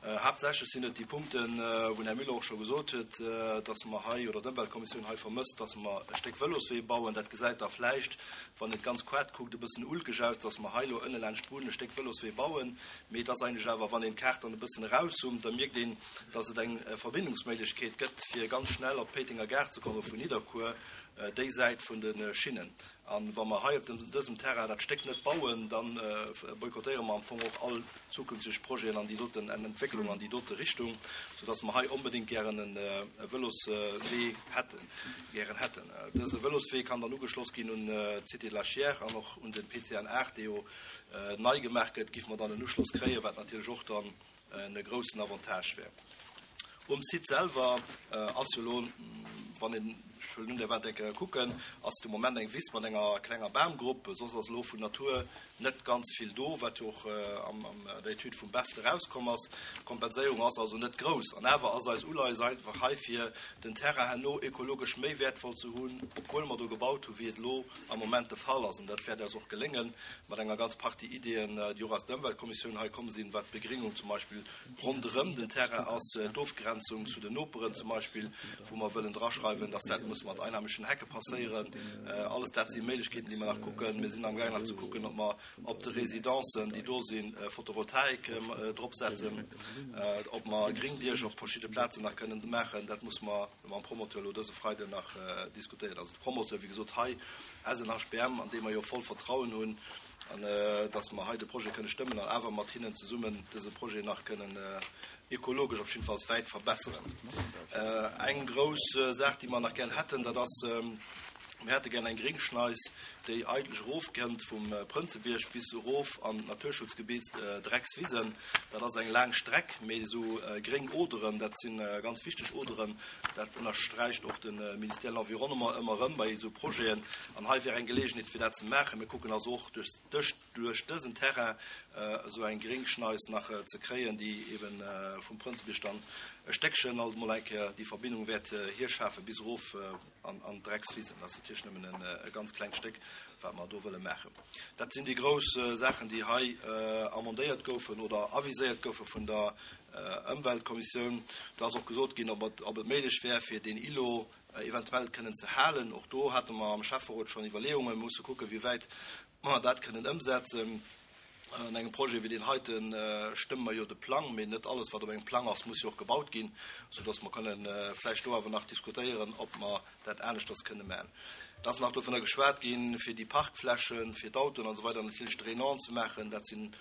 Haaptsächlech sinn et déi Punkten, wou den Här Müller och scho gesot huet, dass mer hei, oder d'Ëmweltkommissioun hei vermësst, dass mer e Stéck Vëloswee bauen. Dat gesäit da vläicht, wann een d'ganz Kaart kuckt, e bëssen ulkeg aus, dass mer hei elo ënne laanscht d'Bunn e Stéck Vëloswee bauen. Mee et ass eigentlech awer, wann een d'Kaart dann e bëssen erauszoomt, da mierkt een, dass et eng Verbindungsméiglechkeet gëtt, fir ganz schnell op d'Péitenger Gare ze komme vun Nidderkuer, déi Säit vun de Schinnen. A wa mer hei op dësem Terrain dat Stéck net bauen, da boykottéiere mer am Fong och all zukünfteg Projeten an déi doten Entwécklung an déi dote Richtung, soudass mer hei onbedéngt gären e Vëloswee hätten, gären hätten. Dëse Vëloswee kann dann ugeschloss ginn un d'Cité de la Chiers an och un de PCN 8, dee jo nei gemaach gëtt, géife mer dann en Uschloss kréien, wat natierlech och dann en groussen Avantage wär. Um Site selwer ass jo elo, wann een, ech huelen un, der waart eng Kéier kucken, ass de Moment eng Wiss mat enger klenger Bamgrupp. Soss ass elo vun Natur net ganz vill do, wat jo och an der Etüd vum Best erauskomm ass. D'Kompenséierung ass also net grouss. An awer ass eis Uleies einfach hei, fir den Terrain herno ökologesch méi wäertvoll ze hunn, obwuel mer do gebaut hu wéi et elo am Moment de Fall ass. An dat wäert eis och geléngen, mat enger ganz Partie Ideeën, déi och aus der Ëmweltkommissioun hei komm sinn, wat d'Begringung zum Beispill ronderëm den Terrain ass, d'Ofgrenzung zu den Noperen zum Beispill, wou mer wëllen draschreiwen, dass dat muss. muss mat einheimischen Hecke passéieren. Alles dat si Méiglechkeeten, déi mer nach kucken. Mir sinn amgaang nach ze kucken, ob mer op de Residencen, déi do sinn, Photovoltaik dropsetzen, ob mer Gringdiecher op verschidde Plazen nach kënnen maachen. Dat muss mer mam Promoteur elo dëse Freiden nach diskutéieren. Also de Promoteur, wéi gesot, hei SNHBM, an dee mer jo voll Vertrauen hunn, an dass mer hei de Projet kënne stëmmen an awer mat hinnen zesummen dëse Projet nach kënnen ekologesch op jiddefalls wäit verbesseren. Eng grouss Saach, déi mer nach gär hätten, dat ass, mir hätte gär eng Gringschneis, déi eigentlech erofkënnt vum Prënzebierg bis erof an d'Naturschutzgebitt Dreckswisen. Dat ass eng laang Streck, mee esou gréng Oderen, dat si ganz wichteg Oderen. Dat ënnersträicht och de Ministère de l'Environnement ëmmer erëm bei esou Projeten. An hei wär eng Geleegenheet, fir dat ze maachen. Mir kucken also och duerch dës. duerch dësen Terrain esou eng Gringschneis nach ze kréien, déi eben vum Prënzebierg dann e Stéckchen alt emol eng Kéier déi Verbindung wäert hirschafe bis erof an d'Dreckswisen. Dat ass natierlech nëmmen e ganz klengt Stéck, wat mer do wëlle maachen. Dat sinn déi grouss Saachen, déi hei amendéiert goufen oder aviséiert goufe vun der Ëmweltkommissioun. Et ass och gesot ginn, ob et méiglech wär, fir deen Îlot eventuell kënnen ze halen. Och do hate mer am Schäfferot schonn Iwwerleeungen. Mir musse kucken, wéi wäit mer dat kënnen ëmsetzen. An engem Projet wéi deen heite stëmme mer jo de Plang, mee net alles, wat op engem Plang ass, muss jo och gebaut ginn, soudass mer kënnen vläicht do awer nach diskutéieren, ob mer dat aneschters kënne maachen. Et ass nach dovunner geschwat ginn, fir déi Parkflächen fir d'Autoen an esou weider natierlech drainant ze maachen. Dat sinn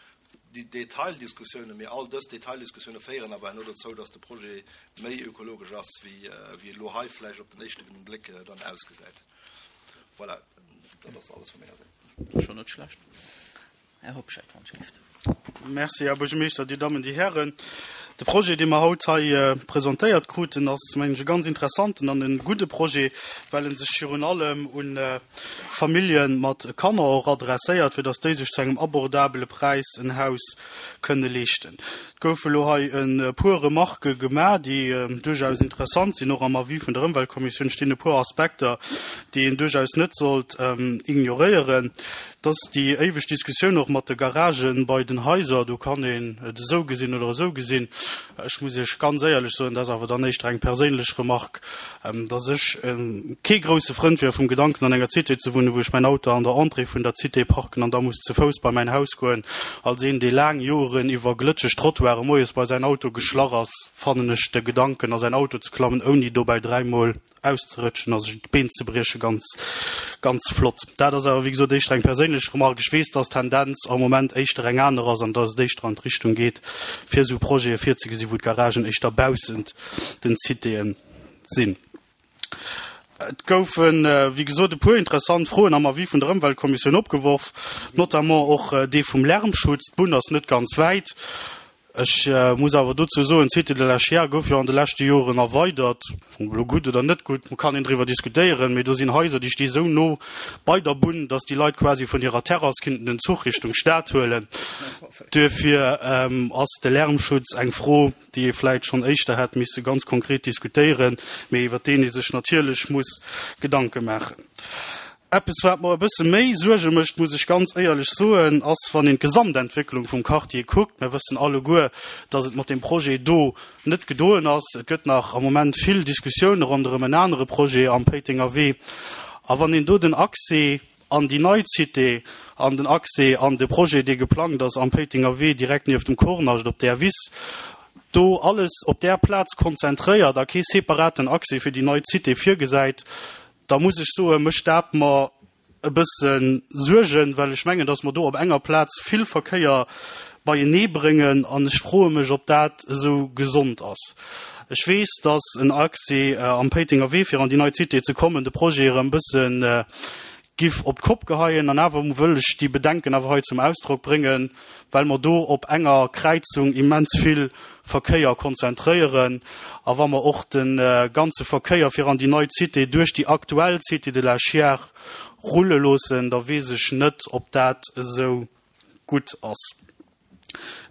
déi Detaildiskussiounen, mee all dës Detaildiskussioune féieren awer herno dozou, dass de Projet méi ökologesch ass, wéi e elo hei vläicht op den éischte Bléck dann ausgesäit. Voilà, dat ass alles vu menger Säit. Dat ass schonn net schlecht. Här Hobscheit, wann ech géif. Merci, Här Buergermeeschter, Dir Dammen, Dir Hären. De Projet, dee mer haut hei presentéiert kruten, ass, mengen ech, e ganz interessanten an e gudde Projet, well e sech virun allem u Famillje mat Kanner och adresséiert, fir datt déi sech zu engem abordabele Präis en Haus kënne leeschten. Et goufe elo hei e puer Remarquë gemaach, déi duerchaus interessant sinn. Och am Avis vun der Ëmweltkommissioun stinn e puer Aspekter, déi een duerchaus net sollt ignoréieren. Et ass déi éiweg Diskussioun och mat de Garagë bei den Haiser. Do kann een et esou gesinn oder esou gesinn. Ech muss Iech ganz éierlech soen, dat ass awer dann éischter eng perséinlech Remarque, dass ech kee grousse Frënd wier vum Gedanken, an enger Cité ze wunnen, wou ech mäin Auto an der Entrée vun der Cité parken an da muss ze Fouss bei mäin Haus goen. Als een, dee laang Joren iwwer glëtscheg Trottoire moies bei säin Auto geschlach ass, fannen ech de Gedanken, a säin Auto ze klammen, ouni dobäi dräimol auszerëtschen a sech d'Been ze briechen, ganz, ganz flott. Dat ass awer, wéi gesot, éischter eng perséinlech Remarque. Ech weess, dass d'Tendenz am Moment éischter eng aner ass an dass et éischter an d'Richtung geet, fir esou Projete virzegesinn, wou d'Garagen éischter baussent den Citéen sinn. Et goufen, wéi gesot, e puer interessant Froen am Avis vun der Ëmweltkommissioun opgeworf, notamment och dee vum Lärmschutz. D'Bunn ass net ganz wäit. Ech muss awer dozou soen, d'Cité de la Chiers gouf jo an de leschte Joren erweidert. Ob elo gutt oder net gutt, kann een driwwer diskutéieren, mee do sinn Haiser, déi sti sou no bei der Bunn, dass déi Leit quasi vun hirer Terrass kinnten den Zuch Richtung Stad huelen. Duerfir ass de Lärmschutz eng Fro, déi ee vläit schonn éischter hätt misse ganz konkret diskutéieren, mee iwwer deen ee sech natierlech muss Gedanke maachen. Eppes, wat mer e bësse méi Suerge mécht, muss ech ganz éierlech soen, ass, wann een d'Gesamtentwécklung vum Quartier kuckt. Mir wëssen alleguer, dass et mat deem Projet do net gedoen ass. Et gëtt nach am Moment vill Diskussioune ronderëm en anere Projet am Péitenger Wee. A wann een do den Accès an déi nei Cité an den Accès an de Projet, dee geplangt ass am Péitenger Wee direkt nieft dem Kornascht op där Wiss, do alles op där Plaz konzentréiert a kee separaten Accès fir déi nei Cité virgesäit, da muss ech soen, mécht dat mer e bësse Suergen, well ech mengen, datt mer do op enger Plaz vill Verkéier beienee bréngen an ech froe mech, ob dat esou gesond ass. Ech weess, datt en Accès am Péitenger Wee, fir an déi nei Cité ze kommen, de Projet erëm e bësse giff op d'Kopp geheien. An awer wëll ech déi Bedenken awer hei zum Ausdrock bréngen, well mer do op enger Kräizung immens vill Verkéier konzentréieren a wa mer och de ganze Verkéier fir an déi nei Cité duerch déi aktuell Cité de la Chiers rulle loossen, da weess ech net, ob dat esou gutt ass.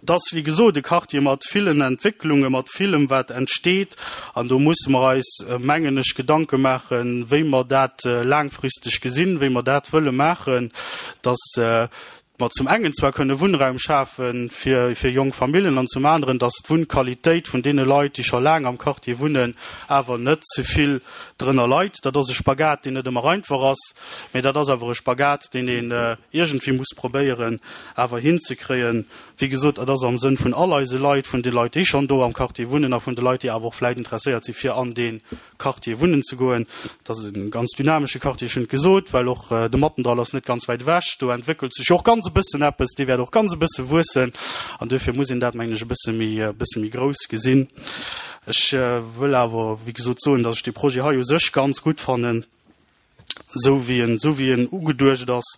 Et ass, wéi gesot, e Quartier mat villen Entwécklungen, mat villem, wat entsteet. An do musse mer eis, mengen ech, Gedanke maachen, wéi mer dat laangfristeg gesinn, wéi mer dat wëlle maachen, dass. mer zum engen zwar kënne Wunnraum schafe fir, fir jonk Familljen an zum aneren, dass d'Wunnqualitéit vun deene Leit, déi scho laang am Quartier wunnen, awer net ze vill drënner leit. Dat ass e Spagat, deen net ëmmer einfach ass, mä dat ass awer e Spagat, deen een iergendwéi muss probéieren awer hinzekréien. Wéi gesot, et ass am Sënn vun all eise Leit, vun de Leit, déi schonn do am Quartier wunnen a vun de Leit, déi awer och vläicht interesséiert si fir an dee Quartier wunnen ze goen. Et ass e ganz dynamesche Quartier, ech hunn et gesot, well och de Mattendall ass net ganz wäit ewech. Do entwéckelt sech jo och ganz e bëssen eppes, dee wäert och ganz e bësse wuessen an duerfir muss een dat, mengen ech, e bësse méi, e bësse méi grouss gesinn. Ech wëll awer, wéi gesot, soen, datt ech dee Projet hei u sech ganz gutt fannen, esou wéi en, esou wéi en ugeduecht ass.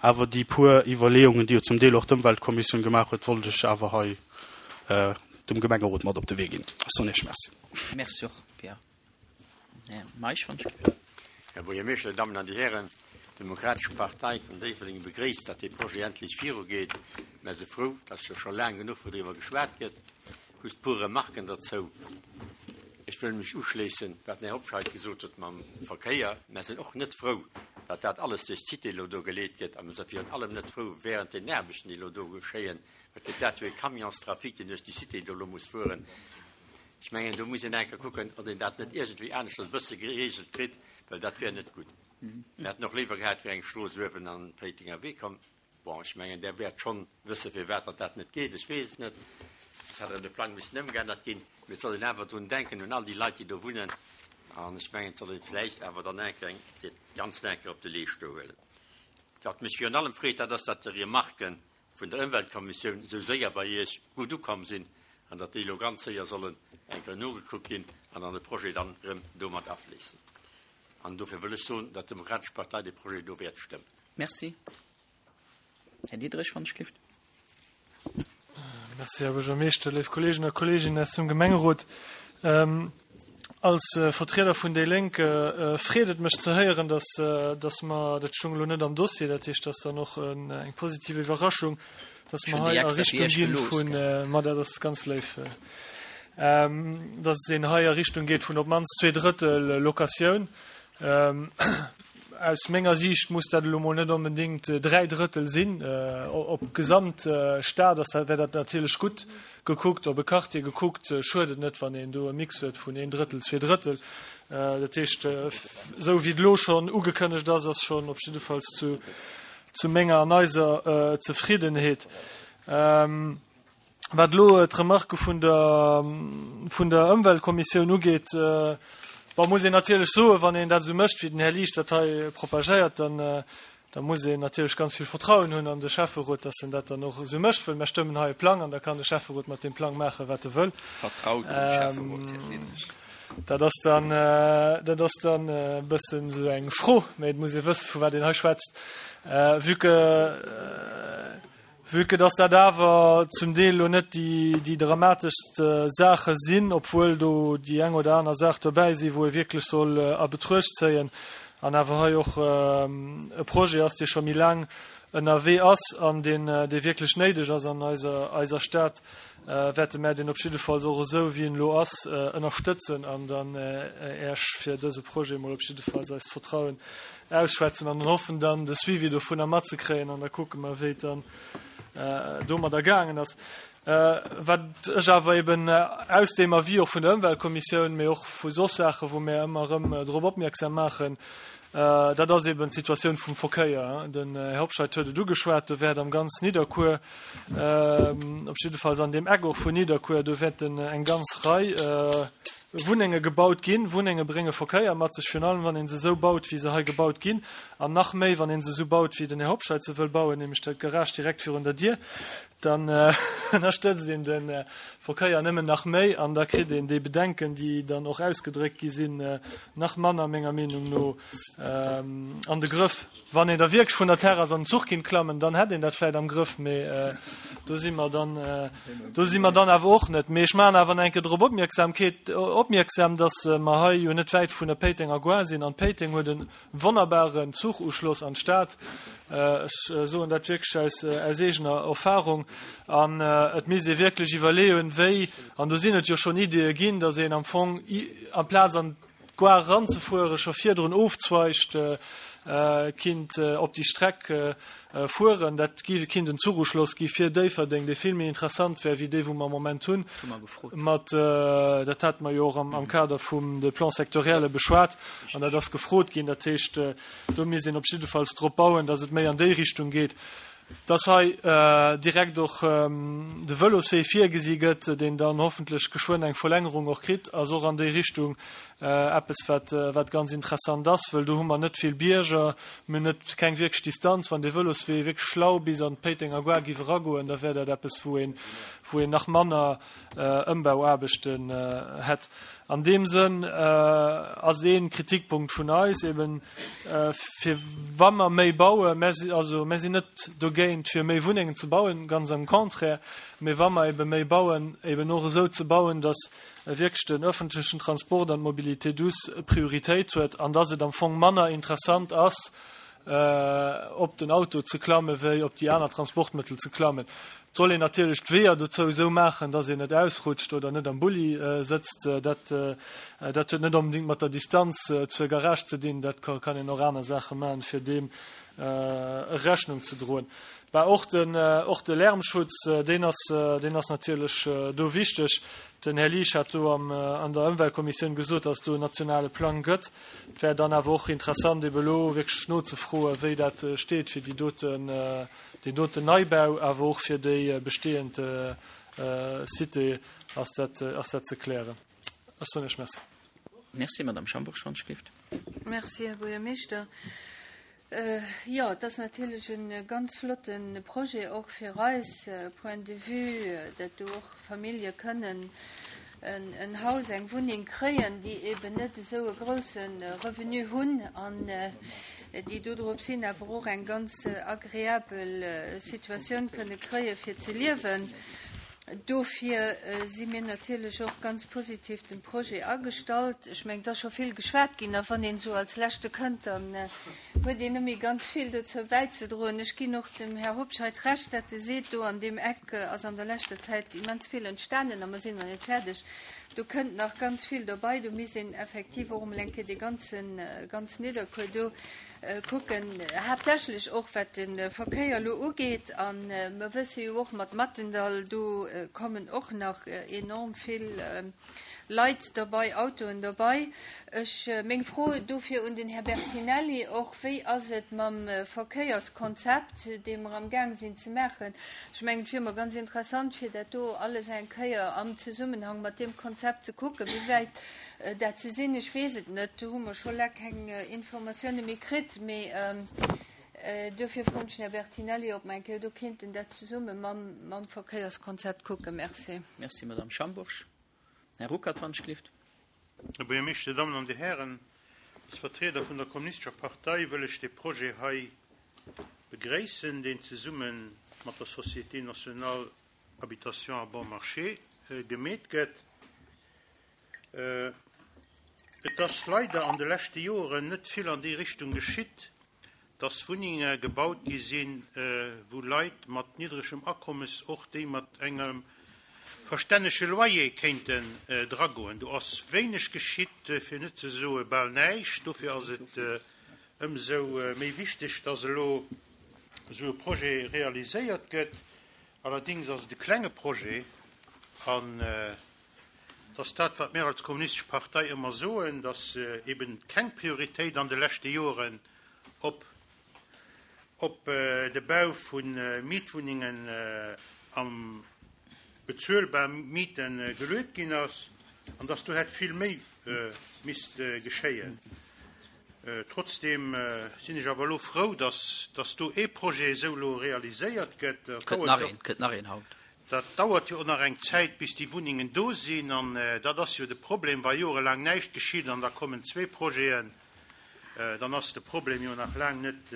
Awer déi puer Iwwerleeungen, déi jo zum Deel och d'Ëmweltkommissioun gemaach huet, wollt ech awer hei dem Gemengerot mat op de Wee ginn. Ech soen Iech Merci. Merci och, Pierre. Här Meisch, wann ech. Här Buergermeeschter, Dir Dammen an Dir Hären, d'Demokratesch Partei vun Déifferdeng begréisst, datt dee Projet endlech virugeet. Mär si frou, datt jo scho laang genuch wou driwwer geschwat gëtt. Just puer Remarken derzou. Ech wëll mech uschléissen, wat den Här Hobscheit gesot huet mam Verkéier. Mär sinn och net frou, datt dat alles duerch d'Cité elo do geleet gëtt. A mir si virun allem net frou während den Aarbechten, déi elo do geschéien. Wat gëtt dat fir e Camionstrafic, deen duerch déi Cité do elo muss fueren? Ech mengen, do muss een eng Kéier kucken, ob een dat net iergendwéi aneschters e bësse geregelt kritt, well dat wär net gutt. Mir hätten och léiwer gehat, et wär eng Strooss uewen an Péitenger Wee komm. Bon, ech mengen, Der wäert schonn wësse firwat datt dat net geet. Ech weess et net. Et hätt erëm de Plang missen ëmgeännert ginn. Mee et soll een awer drun denken, un all déi Leit, déi do wunnen. An ech mengen, et soll ee vläicht awer dann eng Kéier dat Ganzt eng Kéier op de Leescht do huelen. Wat mech virun allem freet, dat ass, datt déi Remarquen vun der Ëmweltkommissioun esou séier bei Iech gutt ukomm sinn an datt déi elo ganz séier sollen eng Kéier nogekuckt ginn an an de Projet dann erëm do mat afléissen. An dofir wëll ech soen, datt d'Demokratesch Partei dee Projet do wäert stëmmen. Merci. Här Diderich, wann ech gelift. Merci, Här Buergermeeschter, léif Kolleegen a Kolleeginnen aus dem Gemengerot. Als Vertrieder vun déi Lénk freet et mech ze héieren, dass, dass mer, dat stoung elo net am Dossier, dat heescht, dat ass dann och eng positiv Iwwerraschung, dass mer hei a Richtung gi vun, ma dat ass ganz léif, dass een hei a Richtung geet vun op d'mannst 2/3 Locatioun. Aus menger Siicht muss dat elo mol net onbedéngt 3 Drëttel sinn. Op d'gesamt Stad ass dat, wär dat natierlech gutt gekuckt. Op e Quartier gekuckt schued et net, wann een do e Mix huet vun een Drëttel, zwee Drëttel. Dat heescht, esou wéi et elo schonn ugekënnegt ass, ass schonn op jiddefalls zu, zu menger an eiser Zefriddenheet. Wat elo d'Remarque vun der, vun der Ëmweltkommissioun ugeet, bon, muss een natierlech soen, wann een dat esou mécht, wéi den Här Liesch dat hei propagéiert, dann, da muss een natierlech ganz vill Vertrauen hunn an de Schäfferot, dass en dat dann och esou mécht, well mir stëmmen hei e Plang an da kann de Schäfferot mat deem Plang maachen, wat e wëll. Vertraut dem Schäfferot, Här Diderich. Dat ass dann, dat ass dann e bëssen esou eng Fro, mä et muss ee wëssen, vu wat een hei schwätzt. Vue que, Vue que dass dat awer zum Deel elo net déi dramateschst Saache sinn, obwuel do déi eng oder aner Saach dobäi sinn, wou ee wierklech soll a Betruecht zéien, an awer hei och e Projet ass, dee scho méi laang ënnerwee ass an deen, dee wierklech néideg ass an eiser, eiser Stad, wäerte mär deen op jiddefalls och esou, wéi en elo ass, ënnerstëtzen an dann Äech fir dëse Projet emol op jiddefalls eist Vertrauen ausschwätzen an hoffen dann de Suivi dovunner matzekréien an da kucke mer wéi et dann domadder gaangen ass. Wat ech awer eben aus deem Avis och vun der Ëmweltkommissioun, mee och vu soss Saache wou mir ëmmer erëm drop opmierksam maachen, dat ass eben d'Situatioun vum Verkéier. Den Här Hobscheit huet et ugeschwat, do wäert am ganz Nidderkuer, op jiddefalls an deem Eck och vun Nidderkuer, do wäerten eng ganz Rei Wunnenge gebaut ginn. Wunnenge brénge Verkéier mat sech, virun allem wann ee se esou baut, wéi se hei gebaut ginn, an nach méi, wann ee se esou baut, wéi den Här Hobscheit se wëll bauen, nämlech dat Garage direkt virun der Dier. Dann ënnerstëtzt een de Verkéier nëmmen nach méi an da kritt een déi Bedenken, déi dann och ausgedréckt gi sinn, nach manner, menger Meenung no, an de Grëff. Wann een da wierklech vun der Terrass an den Zuch kinnt klammen, dann hätt een dat vläit am Grëff, mee do si mer dann, do si mer dann awer och net. Mee ech maachen awer nach eng Kéier drop Opmierksamkeet, opmierksam, dass mer hei jo net wäit vun der Péitenger Gare sinn an Péiteng huet e wonnerbaren Zuchuschloss an d'Stad. Ech soen dat wierklech aus, aus eegener Erfahrung. An et misst ee wierklech iwwerleeën, wéi, an do sinn et jo schonn Ideeë ginn, dass een am Fong amplaz an d'Gare eranzefueren, scho virdrun ofzweigt. kinnt op déi Streck fueren. Dat kinnt en Zuchuschloss gi fir Déifferdeng, dee vill méi interessant wär wéi dee wou mer am Moment hunn. Mat, dat hate mer jo och am Kader vum de Plan-sectorielle beschwat an dat ass gefrot ginn. Dat heescht, do misst een op jiddefalls drop bauen, datt et méi an déi Richtung geet. Dass hei direkt och de Vëloswee virgesi gëtt, deen dann hoffentlech geschwënn eng Verlängerung och kritt, ass och an déi Richtung eppes, wat, wat ganz interessant ass, wëll do hu mer net vill Bierger, mir hunn net, keng wierklech Distanz. Wann dee Vëloswee wierklech schlau bis an d'Péitenger Gare giff eragoen, da wär dat eppes, wou een, wou een nach manner Ëmbauaarbechten hätt. An deem Sënn ass ee Kritikpunkt vun eis eben, fir wa mer méi bauen, mer si, also mer sinn net dogéint fir méi Wunnengen ze bauen, ganz am Contraire, mee wa mer ebe méi bauen, eben och esou ze bauen, datt wierklech den öffentlechen Transport an d'Mobilité douce Prioritéit huet an datt et am Fong manner interessant ass, op den Auto ze klamme wéi op déi aner Transportmëttel ze klammen. Et soll een natierlech d'Weeër dozou esou maachen, dass een net ausrutscht oder net am Bulli sëtzt. Dat, dat huet net onbedéngt mat der Distanz zur Garage ze dinn. Dat kann een och aner Saache maachen, fir deem Rechnung ze droen. Bah, och den, och de Lärmschutz, deen ass, deen ass natierlech do wichteg. Den Här Liesch hat do am, an der Ëmweltkommissioun gesot, dass et do en nationale Plang gëtt. Et wär dann awer och interessant, ebe elo wierklech nozefroen, wéi dat steet fir déi doten, deen doten Neibau, awer och fir déi bestehend Cité ass dat, ass dat ze klären. Ech soen Iech Merci. Merci, Madame Schambourg, wann ech gelift. Merci, Här Buergermeeschter. Jo, et ass natierlech e ganz flotte Projet och fir eis Point de vue, dat do och Famillje kënnen en Haus, eng Wunneng kréien, déi eben net esou e grouse Revenu hunn an déi dodrops hin awer och eng ganz agreabel Situatioun kënne kréie fir ze liewen. Dofir si mir natierlech och ganz positiv dem Projet agestallt. Ech mengen, et ass scho vill geschwat ginn, a wann een esou als Leschte kënnt, dann huet een net méi ganz vill dozou bäizedroen. Ech ginn och dem Här Hobscheit Recht, dat e seet, do an deem Eck ass an der leschter Zäit immens vill entstanen a mer sinn nach net fäerdeg. Do kënnt nach ganz vill dobei. Do misst een effektiv och emol eng Kéier dee ganzen, ganz Nidderkuer do kucken, haaptsächlech och wat de Verkéier elo ugeet. A mer wësse jo och mat Mathendall, do kommen och nach enorm vill Leit derbei, Autoen derbei. Ech, meng Fro dofir un den Här Bertinelli och, Wéi ass et mam Verkéierskonzept, dee mer amgaang sinn ze maachen? Ech mengen, et wier emol ganz interessant, fir dat do alles eng Kéier am Zesummenhang mat deem Konzept ze kucken, wéi wäit Dat ze sinn, ech weess et net, do hu mer scho laang keng Informatioune méi kritt. Mee duerfir froen ech den Här Bertinelli, ob mer eng Kéier do kéinten dat zesumme mam Verkéierskonzept kucken. Merci. Merci, Madame Schambourg. Här Ruckert, wann ech gelift. Här Buergermeeschter, Dir Dammen an Dir Hären, als Vertrieder vun der Kommunistescher Partei wëll ech dee Projet hei begréissen, deen zesumme mat der Société nationale habitation à bon marché gemeet gëtt. Et ass leider an de leschte Joren net vill an déi Richtung geschitt, dass Wunnenge gebaut gi sinn, wou Leit mat niddregem Akommes, och déi mat engem verstännege Loyer kéinten dragoen. Do ass wéineg geschitt, fir net ze soe bal näischt. Dofir ass et ëmsou méi wichteg, dass elo esou e Projet realiséiert gëtt. Allerdings ass et e klenge Projet an et ass dat, wat mir als Kommunistesch Partei ëmmer soen, dass eben keng Prioritéit an de leschte Joren op op de Bau vu Mietwunnengen am bezuelbar Miete geluet ginn ass an dass do hätt vill méi misst geschéien. Trotzdem sinn ech awer elo frou, dass dass do ee Projet esou elo realiséiert gëtt. Dat Kënnt nach een, kënnt nach een haut. Dat dauert jo och nach eng Zäit, bis déi Wunnengen do sinn. An dat ass jo de Problem, wa jorelaang näischt geschitt an da kommen zwee Projeten, dann ass de Problem jo nach laang net,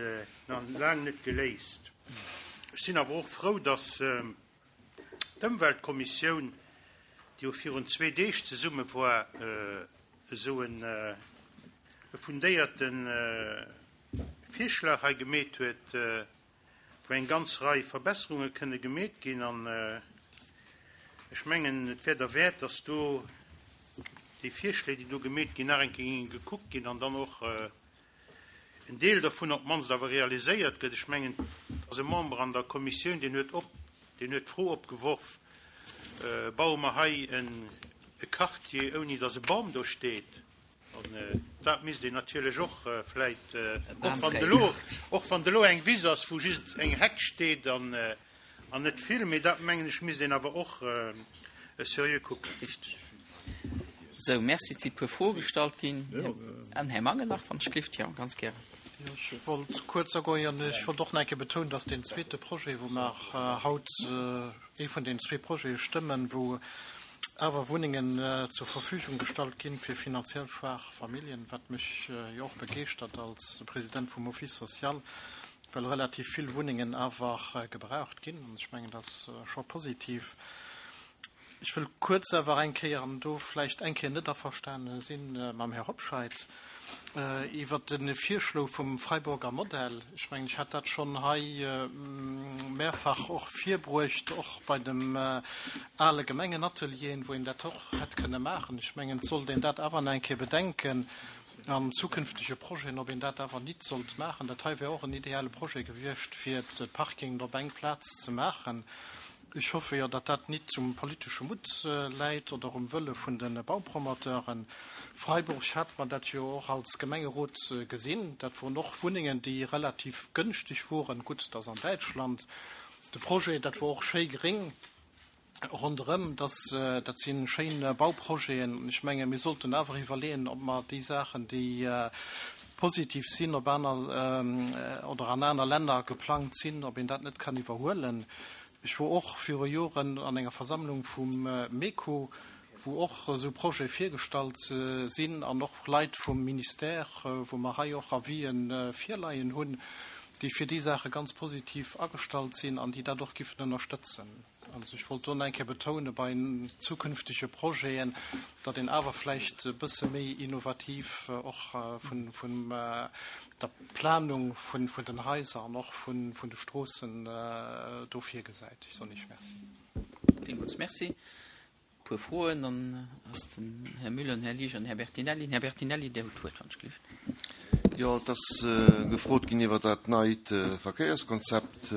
nach laang net geléist. Ech sinn awer och frou, dass d'Ëmweltkommissioun, déi jo virun zwee Deeg zesumme war, esou e fundéierte Virschlag hei gemeet huet, wou eng ganz Rei Verbesserunge kënne gemeet ginn. An ech mengen, et wär derwäert, dass do déi Virschléi, déi do gemeet ginn, nach eng Kéier géinge gekuckt ginn an dann och. En Deel dervun op d'mannst awer realiséiert gëtt. Ech mengen, et ass e Member an der Kommissioun, deen huet op, deen huet d'Fro opgeworf, Baue mer hei e Quartier, ouni datt e Bam do steet? An dat misst een natierlech och vläit, och wann et elo, och wann et elo eng Wiss ass, wou just eng Heck steet an net vill, mee dat, mengen ech, misst een awer och seriö kucken. Richteg. Sou, merci. Et si e puer Froe gestallt ginn. An Här Mangen nach, wann ech gelift. Jo, ganz gären. Jo, ech wollt kuerz agoen. Ech wollt och nach eng Kéier betounen, dass deen zweete Projet, wou mer haut, ee vun den zwee Projete stëmmen, wou awer Wunnengen zur Verfügung gestallt ginn fir finanziell schwaach Familljen, wat mech jo och begeeschtert als President vum Office social, well relativ vill Wunnengen awer gebraucht ginn. An ech mengen, dat ass scho positiv. Ech wëll kuerz awer eng Kéier, an do vläicht eng Kéier net averstane si mam Här Hobscheit, iwwert de Virschlo vum Freiburger Modell. Ech mengen, ech hat dat schonn hei mehrfach och virbruecht, och bei dem ale Gemengenatelieren, wou een dat och hätt kënne maachen. Ech mengen, et sollt een dat awer nach eng Kéier bedenken an zukünftege Projeten, ob een dat awer nit sollt maachen. Dat hei wär och en ideale Projet gewiescht, fir de Parking op eng Plaz ze maachen. Ech hoffe jo, datt dat nit um politesche Mutt läit oder um Wëlle vun de Baupromoteuren. Freiburg hat mer dat jo och als Gemengerot gesinn. Dat woren och Wunnengen, déi relativ gënschteg woren. Gutt, et ass an Däitschland de Projet, dat wor och schéi gréng ronderëm. Dat si schéin Bauprojeten. An ech menge mir sollten awer iwwerleeën, ob mer déi Saachen, déi positiv sinn, op aner oder an aner Länner geplangt sinn, ob een dat net kann iwwerhuelen. Ech wor och viru Joren an enger Versammlung vum MECO, wou och esou Projete virgestallt sinn an och Leit vum Ministère, wou mer hei och Avisë virleien hunn, déi fir déi Saache ganz positiv agestallt sinn an déi dat och giffen ënnerstëtzen. Also ech wollt do nach eng Kéier betoune bei zukünftege Projeten, datt een awer vläicht e bësse méi innovativ och vun der Planung vun den Haiser an och vun de Stroossen do virgesäit. Ech soen Iech Merci. Villmools Merci. E puer Froen, dann ass den Här Müller, den Här Liesch an den Här Bertinelli. Den Här Bertinelli, Dir hutt d'Wuert, wann ech gelift. Jo, et ass gefrot ginn iwwer dat neit Verkéierskonzept.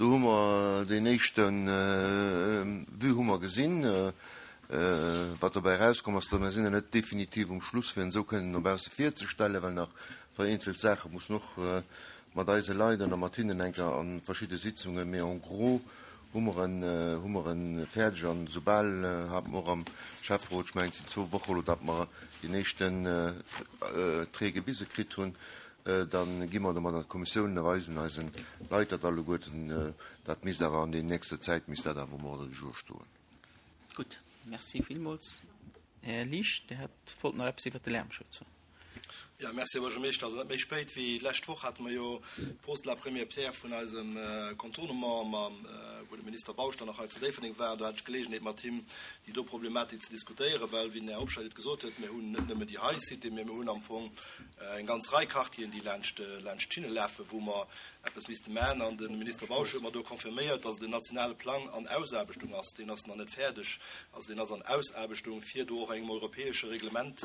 Do hu mer deen éischte Vue hu mer gesinn. Wat dobäi erauskomm ass, mir sinn nach net definitiv um Schluss, fir en esou kënnen no bausse virzestellen, well nach vereenzelt Saache mussen och mat eise Leit an a mat hinnen eng Kéier a verschidde Sitzungen, mee en gros hu mer en, hu mer e fäerdeg. An esoubal hate mer och am Schäfferot, ech mengen et sinn zwou Woche elo, datt mer deen éischten Trait gewise kritt hunn, Da gi mer domat an d'Kommissioun a weisen eisen Leit dat alleguerten. Dat misst awer an der nächster Zäit misst dat awer um Ordre du jour stoen. Gutt, Merci villmools. Här Liesch, Dir hat wollt nach eppes iwwert de Lärmschutz soen. Jo, merci, Här Buergermeeschter. Also net méi spéit wéi d'lescht Woch hate mer jo d'Pose de la première pierre vun eisem Contournement, mam, wou de Minister Bausch dann och hei zu Déifferdeng war. Do hat ech d'Geleegenheet mat him déi do Problematik ze diskutéieren, well, wéi den Här Hobscheit et gesot huet, mir hunn net nëmme déi hei Cité, mä mir hunn am Fong eng ganz Rei Quartieren, déi laanscht laanscht d'Schinne lafen, wou mer eppes misste maachen. An de Minister Bausch huet mer do confirméiert, dass et en nationale Plang an Ausaarbechtung ass. Deen ass nach net fäerdeg, also deen ass an Ausaarbechtung, fir do och engem europäesche Reglement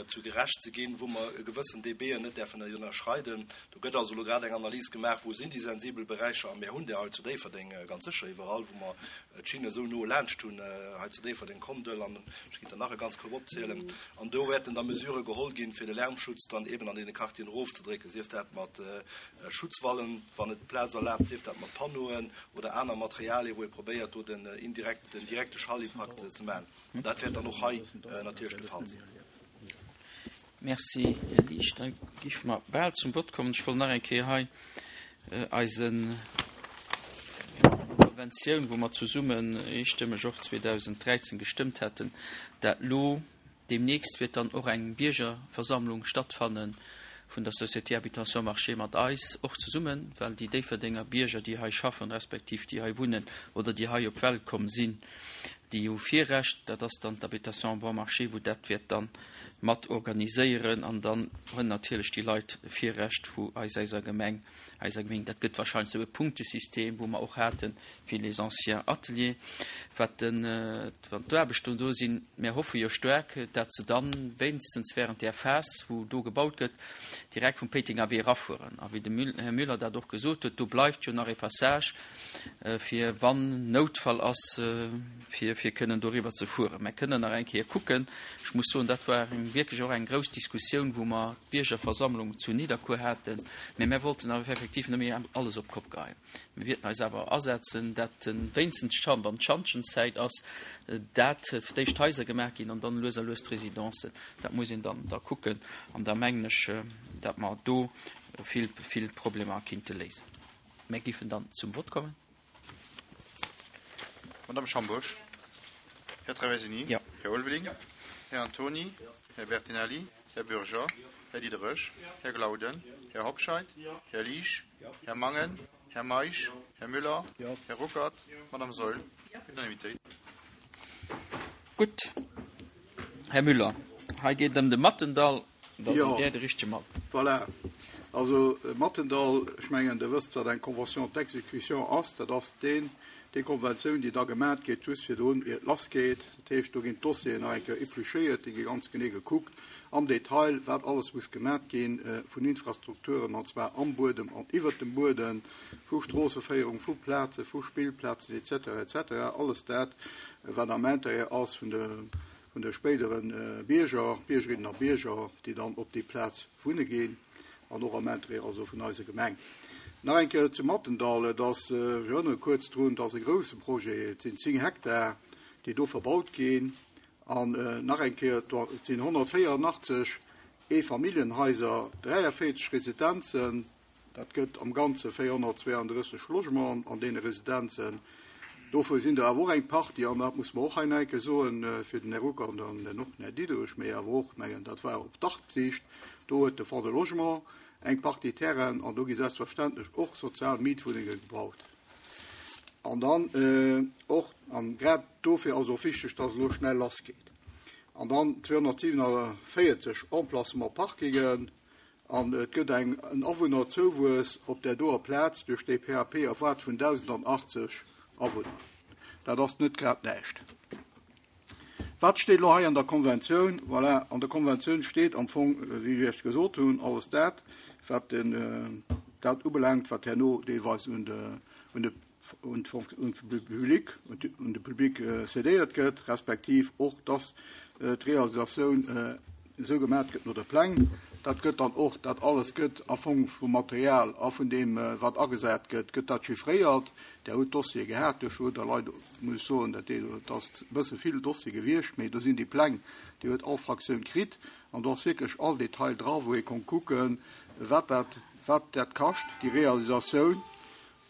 zu gerecht ze ginn, wou mer e gewëssen dBen net däerfen ënnerschreiden. Do gëtt also elo grad eng Analys gemaach, wou sinn déi sensibel Beräicher. A mir hunn där hei zu Déifferdeng ganz sécher iwwerall, wou mer d'Schinne esou no laanscht hunn, hei zu Déifferdeng, Kondel, an ech kéint der nach e ganz Koup opzielen. An do wäerten da Mesurë geholl ginn, fir de Lärmschutz dann eben an deene Quartieren erofzedrécken, sief dat mat Schutzwallen, wann et d'Plaz erlaabt, sief dat mat Panneauen oder aner Materialien, wou ee probéiert, do den indirekten, den direkte Schallimpakt ze maachen. An dat wäert dann och hei natierlech de Fall sinn. Merci, Här Liesch. Da géife mer bal zum Vott kommen. Ech wollt nach eng Kéier hei eise Konventioun, wou mer zesummen eestëmmeg och 2013 gestëmmt haten, dat lo deemnächst wäert dann och eng Biergerversammlung stattfanne vun der Société Habitation Marché mat eis och zesummen, well déi Déifferdenger Bierger, déi hei schaffen, respektiv déi hei wunnen oder déi hei op d'Welt komm sinn. Déi hu Virrecht, dat ass dann d'Habitation Bon Marché, wou dat wäert dann mat organiséieren an dann hunn natierlech déi Leit Virrecht vu eis eiser Gemeng, eiser Gemeng. Dat gëtt wahrscheinlech esou e Punktesystem, wou mer och hate fir les anciens ateliers. Wat den, wann d'Aarbechten do sinn, mär hoffe jo staark, dat se dann wéinstens während där Phas, wou do gebaut gëtt, direkt vum Péitenger Wee erafueren. A wéi de Här Müller dat och gesot huet, do bleift jo nach e Passage, fir wann Noutfall ass, fir fir kënnen doriwwer ze fueren. Mer kënnen nach eng Kéier kucken. Ech muss soen, dat war eng wierklech och eng grouss Diskussioun, wou mer d'Biergerversammlung zu Nidderkuer haten. Mä mär wollten awer effektiv net méi alles op d'Kopp geheien. Mir wierten eis awer asetzen, dat wéinstens d'Schan, wann d'Schantjenzäit ass, dat fir d'éischt d'Haiser gemaach ginn an dann lues a lues d'Residencen. Dat muss een dann da kucken. An da mengen ech, dat mer do vill, vill Problemer kinnte léisen. Mir géifen dann zum Vott kommen. Madame Schambourg, Här Traversini, Jo. Här Ulveling, Här Antony, Här Bertinelli, Här Bürger, Här Diderich, Här Glauden, Här Hobscheit, Här Liesch, Här Mangen, Här Meisch, Här Müller, Här Ruckert, Madame Saeul. Unanimitéit. Gutt, Här Müller, hei geet et ëm de Mattendall. Da sidd Där de richtege Mann. Voilà. Also Mattendall, ech mengen, Der wësst, wat eng Convention d'exécution ass. Dat ass deen, déi Konventioun, déi da gemat gétt just virdrun, ier et lassgeet. Dat heescht, do ginn d'Dossieren nach eng Kéier épluchéiert, déi gi ganz genee gekuckt am Detail, wat alles muss gemat gi vun Infrastrukturen, an zwar am Buedem an iwwert dem Buedem, vu Stroosseféierung, vu Plazen, vu Spillplazen et cetera, et cetera. Alles dat, wat am Intérêt ass vun de vun de spéidere Bierger, Biergerinnen a Bierger, déi dann op déi Plaz wunne ginn, an och am Interêt also vun eiser Gemeng. Nach eng Kéier zum Mattendall, Et ass, ech erënnere kuerz drun, et ass e grouse Projet, et sinn 10 Hektar, déi do verbaut ginn. An nach eng Kéier, et sinn 184 Eefamilljenhaiser, 43 Residenzen, Dat gëtt am Ganze 432 Logementen an deene Residenzen. Dovu sinn der awer och eng Partie, an dat muss mer och hei nach eng Kéier soen, fir den Här Ruckert an dann och den Här Diderich, mee awer och, mengen, dat war op d'Artsicht, do huet de Fonds de Logement eng Partie Terrainen an do gi selbstverständlech och sozial Mietwunnenge gebaut. An dann och, an grad dofir ass et och wichteg, dass et elo schnell lassgeet, an dann 247 Emplacements Parkingen, An et gëtt eng en Awunnerzouwuess op där doer Plaz duerch déi PAP erwaart vun 1.080 Awunner. Dat ass net grad näischt. Wat steet elo hei an der Konventioun? Voilà, an der Konventioun steet am Fong, wéi ech Iech gesot hunn, alles dat, wat den, dat ubelaangt, wat herno deelweis un de, un de un de Public, un de Public cédéiert gëtt, respektiv och, dass d'Realisatioun esou gemaach gëtt no de Pläng. Dat gëtt dann och, dat alles gëtt a Fong vum Material a vun deem, wat agesat gëtt, gëtt dat chiffréiert. Der hutt d'Dossiere gehat, duerfir hutt Der leider, muss ech soen, dat dat ass e bësse vill Dossier gewiescht, mee do sinn déi Pläng, déi huet all Fraktioun kritt an do ass wierklech all Detail dra, wou ee konnt kucken, wat dat, wat dat kascht, déi Realisatioun.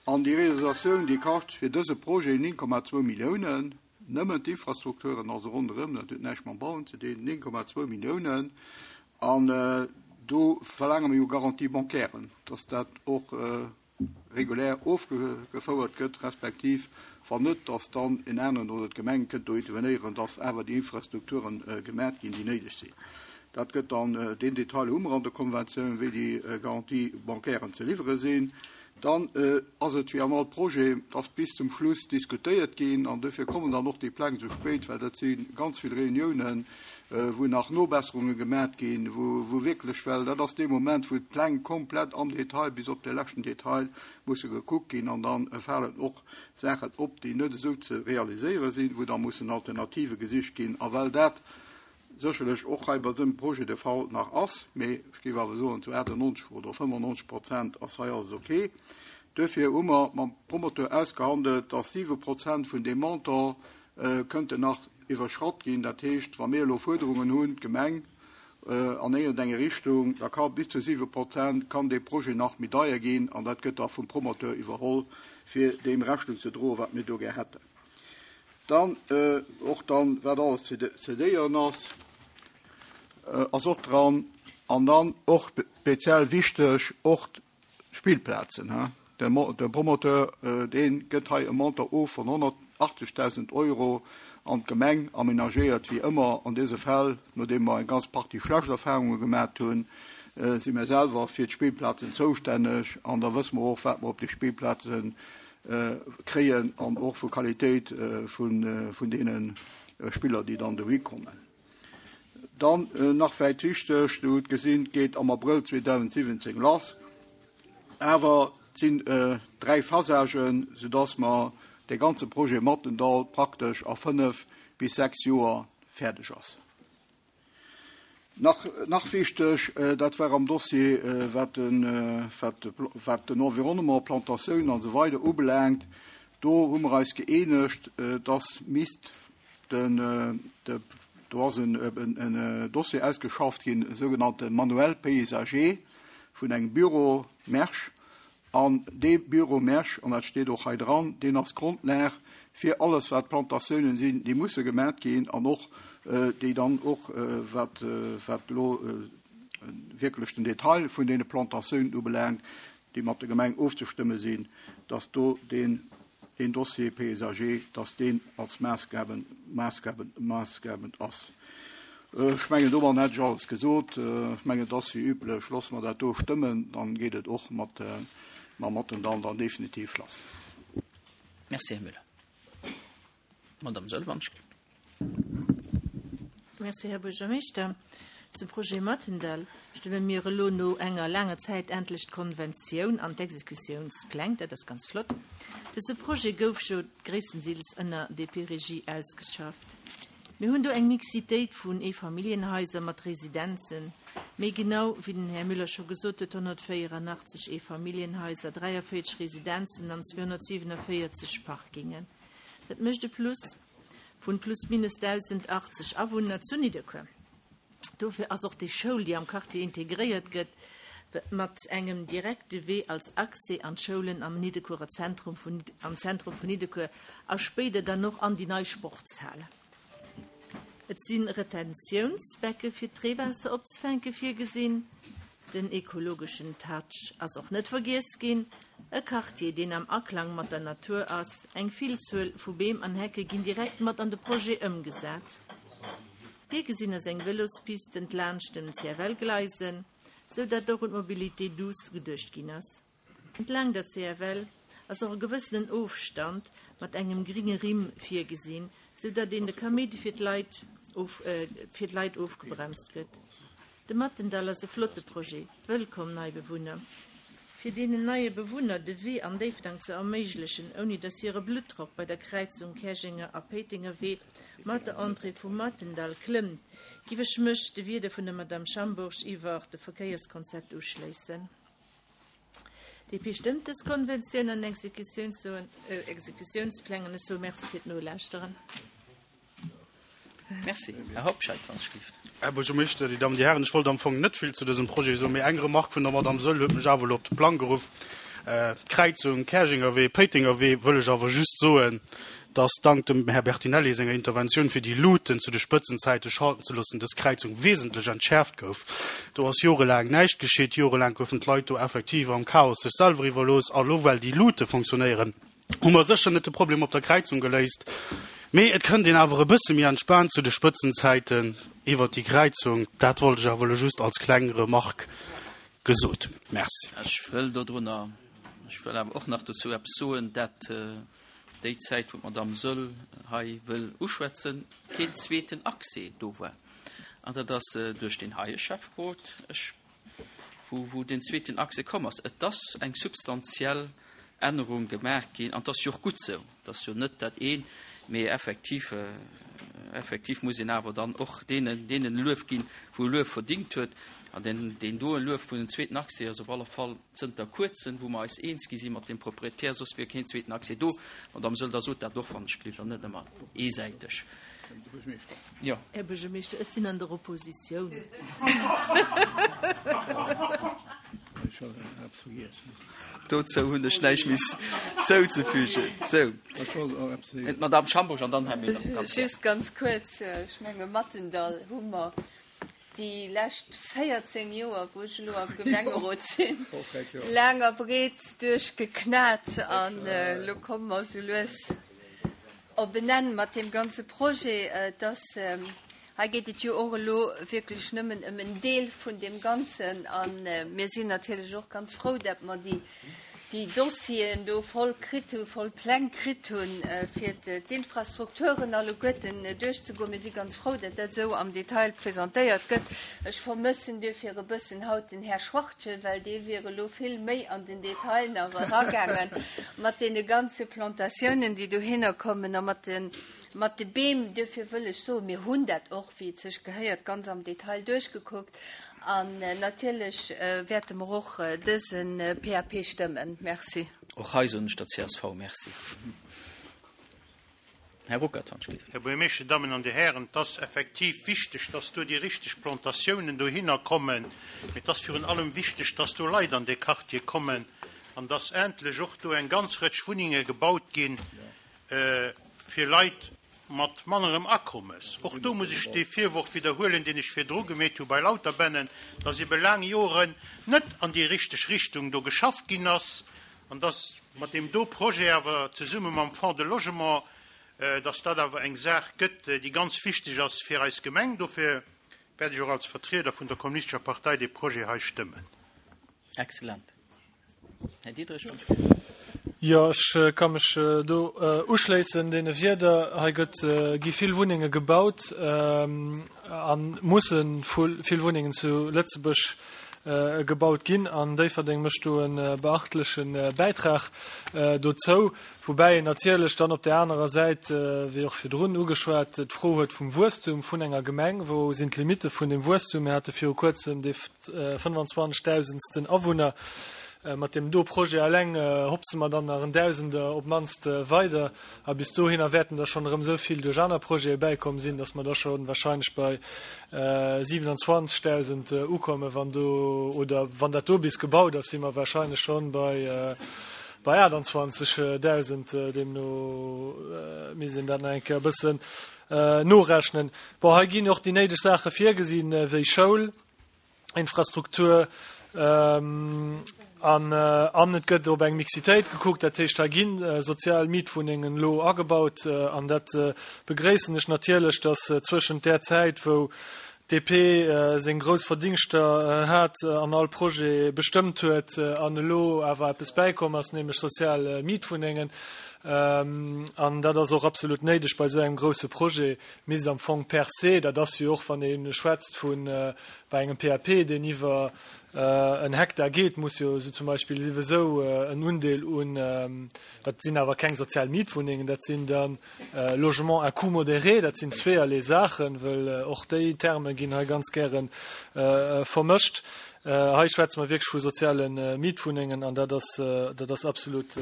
An déi Realisatioun, déi kascht fir dëse Projet 9,2 Milliounen, nëmmen d'Infrastrukturen, also ronderëm, dat huet näischt mam Bauen ze dinn, 9,2 Milliounen. An do verlaange mer jo Garantie bancairen, dass dat och regulär ofgefouert gëtt, respektiv wann net, dass dann en aneren oder d'Gemeng kënnt do intervenéieren, dass awer déi Infrastrukturen gemat ginn, déi néideg sinn. Dat gëtt dann, deen Detail hu mer an der Konventioun, wéi déi Garantie bancairen ze liwwere sinn. Dann ass et wéi an all Projet, et ass bis zum Schluss diskutéiert ginn an dofir kommen dann och déi Pläng esou spéit, well dat si ganz vill Reuniounen, wou nach Nobesserunge gemat ginn, wou wierklech, well dat ass dee Moment, wou d'Pläng komplett am Detail bis op de leschten Detail musse gekuckt ginn an da falen och Saachen op, déi net esou ze realiséiere sinn, wou da mussen Alternative gesicht ginn. A well dat sécherlech och hei bei dësem Projet de Fall nach ass, mee ech géif awer soen, zu 98 oder 95 Prozent ass hei alles ok. Duerfir hu mer mam Promoteur ausgehandelt, dass 7 Prozent vun deem Montant kënnten nach iwwerschratt ginn. Dat heescht, wa mir elo Fuerderungen hunn, d'Gemeng, an iergendenge Richtung, da ka bis zu 7 Prozent kann dee Projet nach méi deier ginn an dat gëtt da vum Promoteur iwwerholl, fir deem Rechnung ze droen, wat mir do gär hätten. Dann och dann, wat alles ze cedéieren ass, ass och dran. An dann och speziell wichteg, och d'Spillplazen. De Promoteur, dee gëtt hei e Montant of vun 180.000 Euro. An d'Gemeng amenagéiert wéi ëmmer an dëse Fäll, nodeem mer eng ganz Partie schlecht Erfahrunge gemat hunn, si mir selwer fir d'Spillplazen zoustänneg an da wësse mer och, wat mer op de Spillplaze kréien an och vu Qualitéit vun deene Spiller, déi dann dohi kommen. Dann nach vläicht wichteg, Dir hutt gesinn, et geet am Abrëll 2017 lass, awer et sinn 3 Phasagen, soudass mer dee ganze Projet Mathendahl praktesch a 5 bis 6 Joer fäerdeg ass. Nach, nach wichteg, dat war am Dossier, wat den, wat, wat den Environnement, Plantatiounen an esou weider ubelaangt, do hu mer eis gëeenegt, dass misst den, de, do ass en, en Dossier ausgeschafft ginn, e sougenannte Manuel paysager vun engem Büro Mersch, An dee Bureau Mersch, an dat steet och hei dran, deen ass d'Grondlag fir alles, wat Plantatiounen sinn, déi musse gemat ginn an och déi dann och, wat wat elo wierklech den Detail vun deene Plantatiounen ubelaangt, déi mat der Gemeng ofzestëmme sinn, dass do deen deen Dossier paysager, dass deen als maassgaben, maassgaben, maassgebend ass. Ech mengen, domadden hätt ech alles gesot. Ech mengen, et ass wéi üblech, loosse mer dat do stëmmen, dann geet et och mat, mam Mathendahl dann definitiv lass. Merci, Här Müller. Madame Sölvanschk. Merci, Här Buergermeeschter. Zum Projet Mathendahl stëmme mir elo no enger laanger Zäit endlech d'Konventioun an d'Exekutiounspläng. Dat ass ganz flott. Dëse Projet gouf jo gréisstendeels ënner DP-Regie ausgeschafft. Mir hunn do eng Mixitéit vun Eefamilljenhaiser mat Residenzen, méi genau, wéi den Här Müller scho gesot huet, 184 Eefamilljenhaiser, 43 Residenzen an 247 Parkingen. Dat mécht e Plus vun plus minus 1.080 Awunner zu Nidderkuer. Dofir ass och déi Schoul, déi am Quartier integréiert gëtt, mat engem direkte Wee als Accès an d'Schoulen am Nidderkuerer Zentrum vun, am Zentrum vun Nidderkuer a spéider dann och an déi nei Sportshal. Et si Retentiounsbecke fir d'Reewaasser opzefänke virgesinn. Den ekologeschen Touch ass och net vergiess ginn. E Quartier, deen am Aklang mat der Natur ass. Eng Villzuel vu Beem an Hecke ginn direkt mat an de Projet ëmgesat. Virgesinn ass eng Vëlospiste entlaanscht dem CFL-Gleisen, sou dat och un d'Mobilité douce geduecht ginn ass. Entlaang der CFL ass och e gewëssenen Ofstand mat engem gringe Rimm virgesinn, sou datt een de Kaméidi fir d'Leit fir d'Leit ofgebremst gëtt. De Mathendall ass e flotte Projet. Wëllkomm nei Bewunner! Fir deenen neie Bewunner de Wee an Déifferdang ze erméiglechen, ouni datt hire Bluttdrock bei der Kräizung Käerjenger a Péitenger Wee mat der Entrée vum Mathendall klëmmt, giff ech mech de Wierder vun der Madame Schambourg iwwer de Verkéierskonzept uschléissen. DP stëmmt dës Konventioun an Exekutiounspläng an ech soe Merci fir d'Nolauschteren. Merci. Här Hobscheit, wann ech gelift. Här Buergermeeschter, Dir Dammen, Dir Hären, ech wollt am Fong net vill zu dësem Projet soen, mee eng Remark vun der Madame Soll huet mech awer elo op de Plang geruff. D'Kräizung Käerjengerwee, Péitengerwee wëll ech awer just soen, dass dank dem Här Bertinelli senger Interventioun fir déi Luuten zu de Spëtzenzäite schalten ze loossen, dës Kräizung wesentlech entschäerft gouf. Do ass jorelaang näischt geschitt, jorelaang goufen d'Leit do effektiv am Chaos sech selwer iwwerlooss. A lo well déi Luute fonctionnéieren, hu mer sécher net de Problem op der Kräizung geléist, mee et kënnt een awer e bësse méi entspaant zu de Spëtzenzäiten iwwert déi Kräizung. Dat wollt ech awer elo just als kleng Remarque gesot hunn. Merci. Ech wëll dodrunner, ech wëll awer och nach dozou eppes soen, dat déi Zäit, wou d'Madame Soll hei wëll uschwätzen, keen zweeten Accès do war. An dat ass duerch deen heie Schäfferot, ech, wou, wou deen zweeten Accès komm ass. Et ass eng substantiell Ännerung gemaach ginn, an et ass jo och gutt esou. Et ass jo net dat een, mee effektiv, effektiv muss een awer dann och deenen, deenen e Luef ginn, wou e Luef verdingt huet. An deen, deen doen Luef vun den zweeten Accès ass op alle Fall zënter kuerzem, wou mer eis eens gi si mat deem Proprietär, soss wier keen zweeten Accès do. Madame Söll, da sot dat och, wann ech gelift, an net ëmmer eesäiteg. Jo. Här Buergermeeschter, ech sinn an der Oppositioun. Dozou hunn ech näischt méi zouzefügen. Sou, d'Madame Schambourg an dann Här Miller. Ganz gär. Just ganz kuerz, ech menge Mathendall hu mer déi lescht 14 Joer, wou ech elo am Gemengerot sinn, laang a breet duerchgeknat an elo komme mer esou lues. op en Enn mat deem ganze Projet. Et ass, hei geet et jo och elo wierklech nëmmen ëm en Deel vun deem Ganzen. A mir sinn natierlech och ganz frou, dat mer déi, déi Dossieren do voll kritt hunn, voll Pläng kritt hunn, fir d'Infrastrukturen alleguerten duerchzegoen. Mir si ganz frou, dat dat esou am Detail presentéiert gëtt. Ech vermëssen duerfir e bëssen haut den Här Schwachtgen, well dee wier elo vill méi an den Detail nach eragaangen mat deene ganze Plantatiounen, déi dohinner kommen a mat de, mat de Beem. Duerfir wëll ech soen, mir hunn dat och, wéi et sech gehéiert, ganz am Detail duerchgekuckt. An natierlech wäerte mer och dëse PAP stëmmen. Merci. Och hei soen ech der csv Merci. Här Ruckert, wann ech gleef. Här Buergermeeschter, Dir Dammen an Dir Hären, et ass effektiv wichteg, dass do déi richteg Plantatiounen dohinner kommen, mee et ass virun allem wichteg, dass do Leit an dee Quartier kommen an dass endlech och do eng ganz Rëtsch Wunnenge gebaut ginn fir Leit, mat mannerem Akommes. Och do muss ech dee Virworf widderhuelen, deen ech virdru gemeet hu bei Lauterbännen, dass ebe laang Joren net an déi richteg Richtung do geschafft ginn ass an dass mat deem do Projet awer zesumme mam Fonds de Logement, dass dat awer eng Saach gëtt, déi ganz wichteg ass fir eis Gemeng. Dofir wäert ech och als Vertrieder vun der Kommunistescher Partei dee Projet hei stëmmen. Excellent. Här Diderich. Jo, ech ka mech do uschléissen deene Wierder. Hei gëtt, gi vill Wunnenge gebaut a musse vill Wunnengen zu Lëtzebuerg gebaut ginn. An Déifferdeng mécht do e beachtleche Bäitrag dozou. Woubäi een natierlech dann op där anerer Säit, wéi och virdrun ugeschwat, d'Fro huet vum Wuesstum vun enger Gemeng. Wou sinn d'Limitte vun dem Wuesstum? Mir hate viru kuerzem dee 25.000. Awunner. Mat deem do Projet eleng hopse mer dann nach en Dausender op d'mannst weider. A bis dohinner wäerten der schonn erëm esou vill duerch aner Projete bäikomm sinn, datt mer da scho wahrscheinlech bei 27.000 ukommen, wann do, oder wann dat do bis gebaut ass, si mer wahrscheinlech schonn bei, bei 28.000. Deemno misst een dat nach eng Kéier e bëssen norechnen. Bon, hei ginn och déi néideg Saache virgesinn, wéi Schoul, Infrastruktur an an et gëtt op eng Mixitéit gekuckt. Dat heescht, hei gi sozial Mietwunnengen elo agebaut an dat begréissen ech natierlech, datt zwëschent där Zäit, wou d'DP seng grouss Verdingschter hat an all Projet bestëmmt huet an elo awer eppes bäikomm ass, nämlech sozial Mietwunnengen. An dat ass och absolut néideg bei esou engem grousse Projet. Misst am Fong per se, dat ass jo och, wann ee schwätzt vu bei engem PAP, deen iwwer en Hektar geet, muss jo esou zum Beispill siwesou en Undeel un, dat sinn awer keng sozial Mietwunnengen, dat sinn da Logements à coût modéré, dat sinn zweeërlee Saachen, wëll och déi Terme ginn hei ganz gäre vermëscht. Hei schwätze mer wierklech vu soziale Mietwunnengen an dat ass, dat ass absolut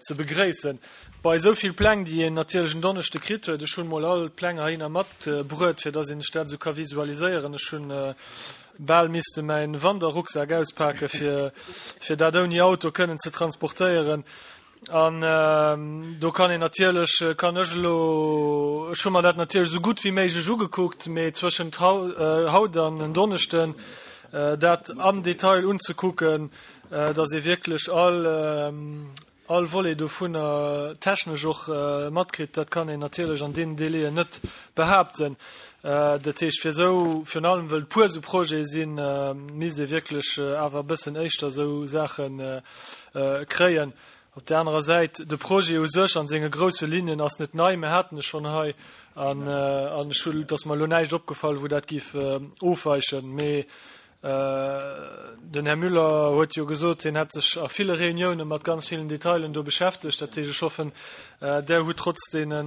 ze begréissen. Bei esou vill Pläng, déi een natierlech en Donneschde kritt huet, ech hunn mol all d'Pläng heihinner matbruet, fir dass een sech dat esou ka visualiséieren. Ech hunn bal misste mäin Wanderrucksak auspake fir, fir dat ouni Auto kënnen ze transportéieren. An do kann een natierlech, kann ech elo, ech hu mer dat natierlech esou gutt wéi méiglech ugekuckt, mee zwëschent haut an en Donneschden dat am Detail unzekucken, dass ee wierklech all, all Volet dovunner technesch och matkritt, dat kann een natierlech an deenen Délaiën net behaapten. Dat heescht, fir esou, virun allem wëll et puer esou Projete sinn, misst ee wierklech awer e bëssen éischter esou Saache kréien. Op där anerer Säit, de Projet u sech an senge grousse Linnen ass net nei, mir haten e schonn hei an ech hu, et ass mer elo näischt opgefall, wou dat géif ofweichen. Mee Den Här Müller huet jo gesot, hien hätt sech a ville Reunioune mat ganz villen Detailen do beschäftegt. Dat heescht, ech hoffen, Der hutt trotz deene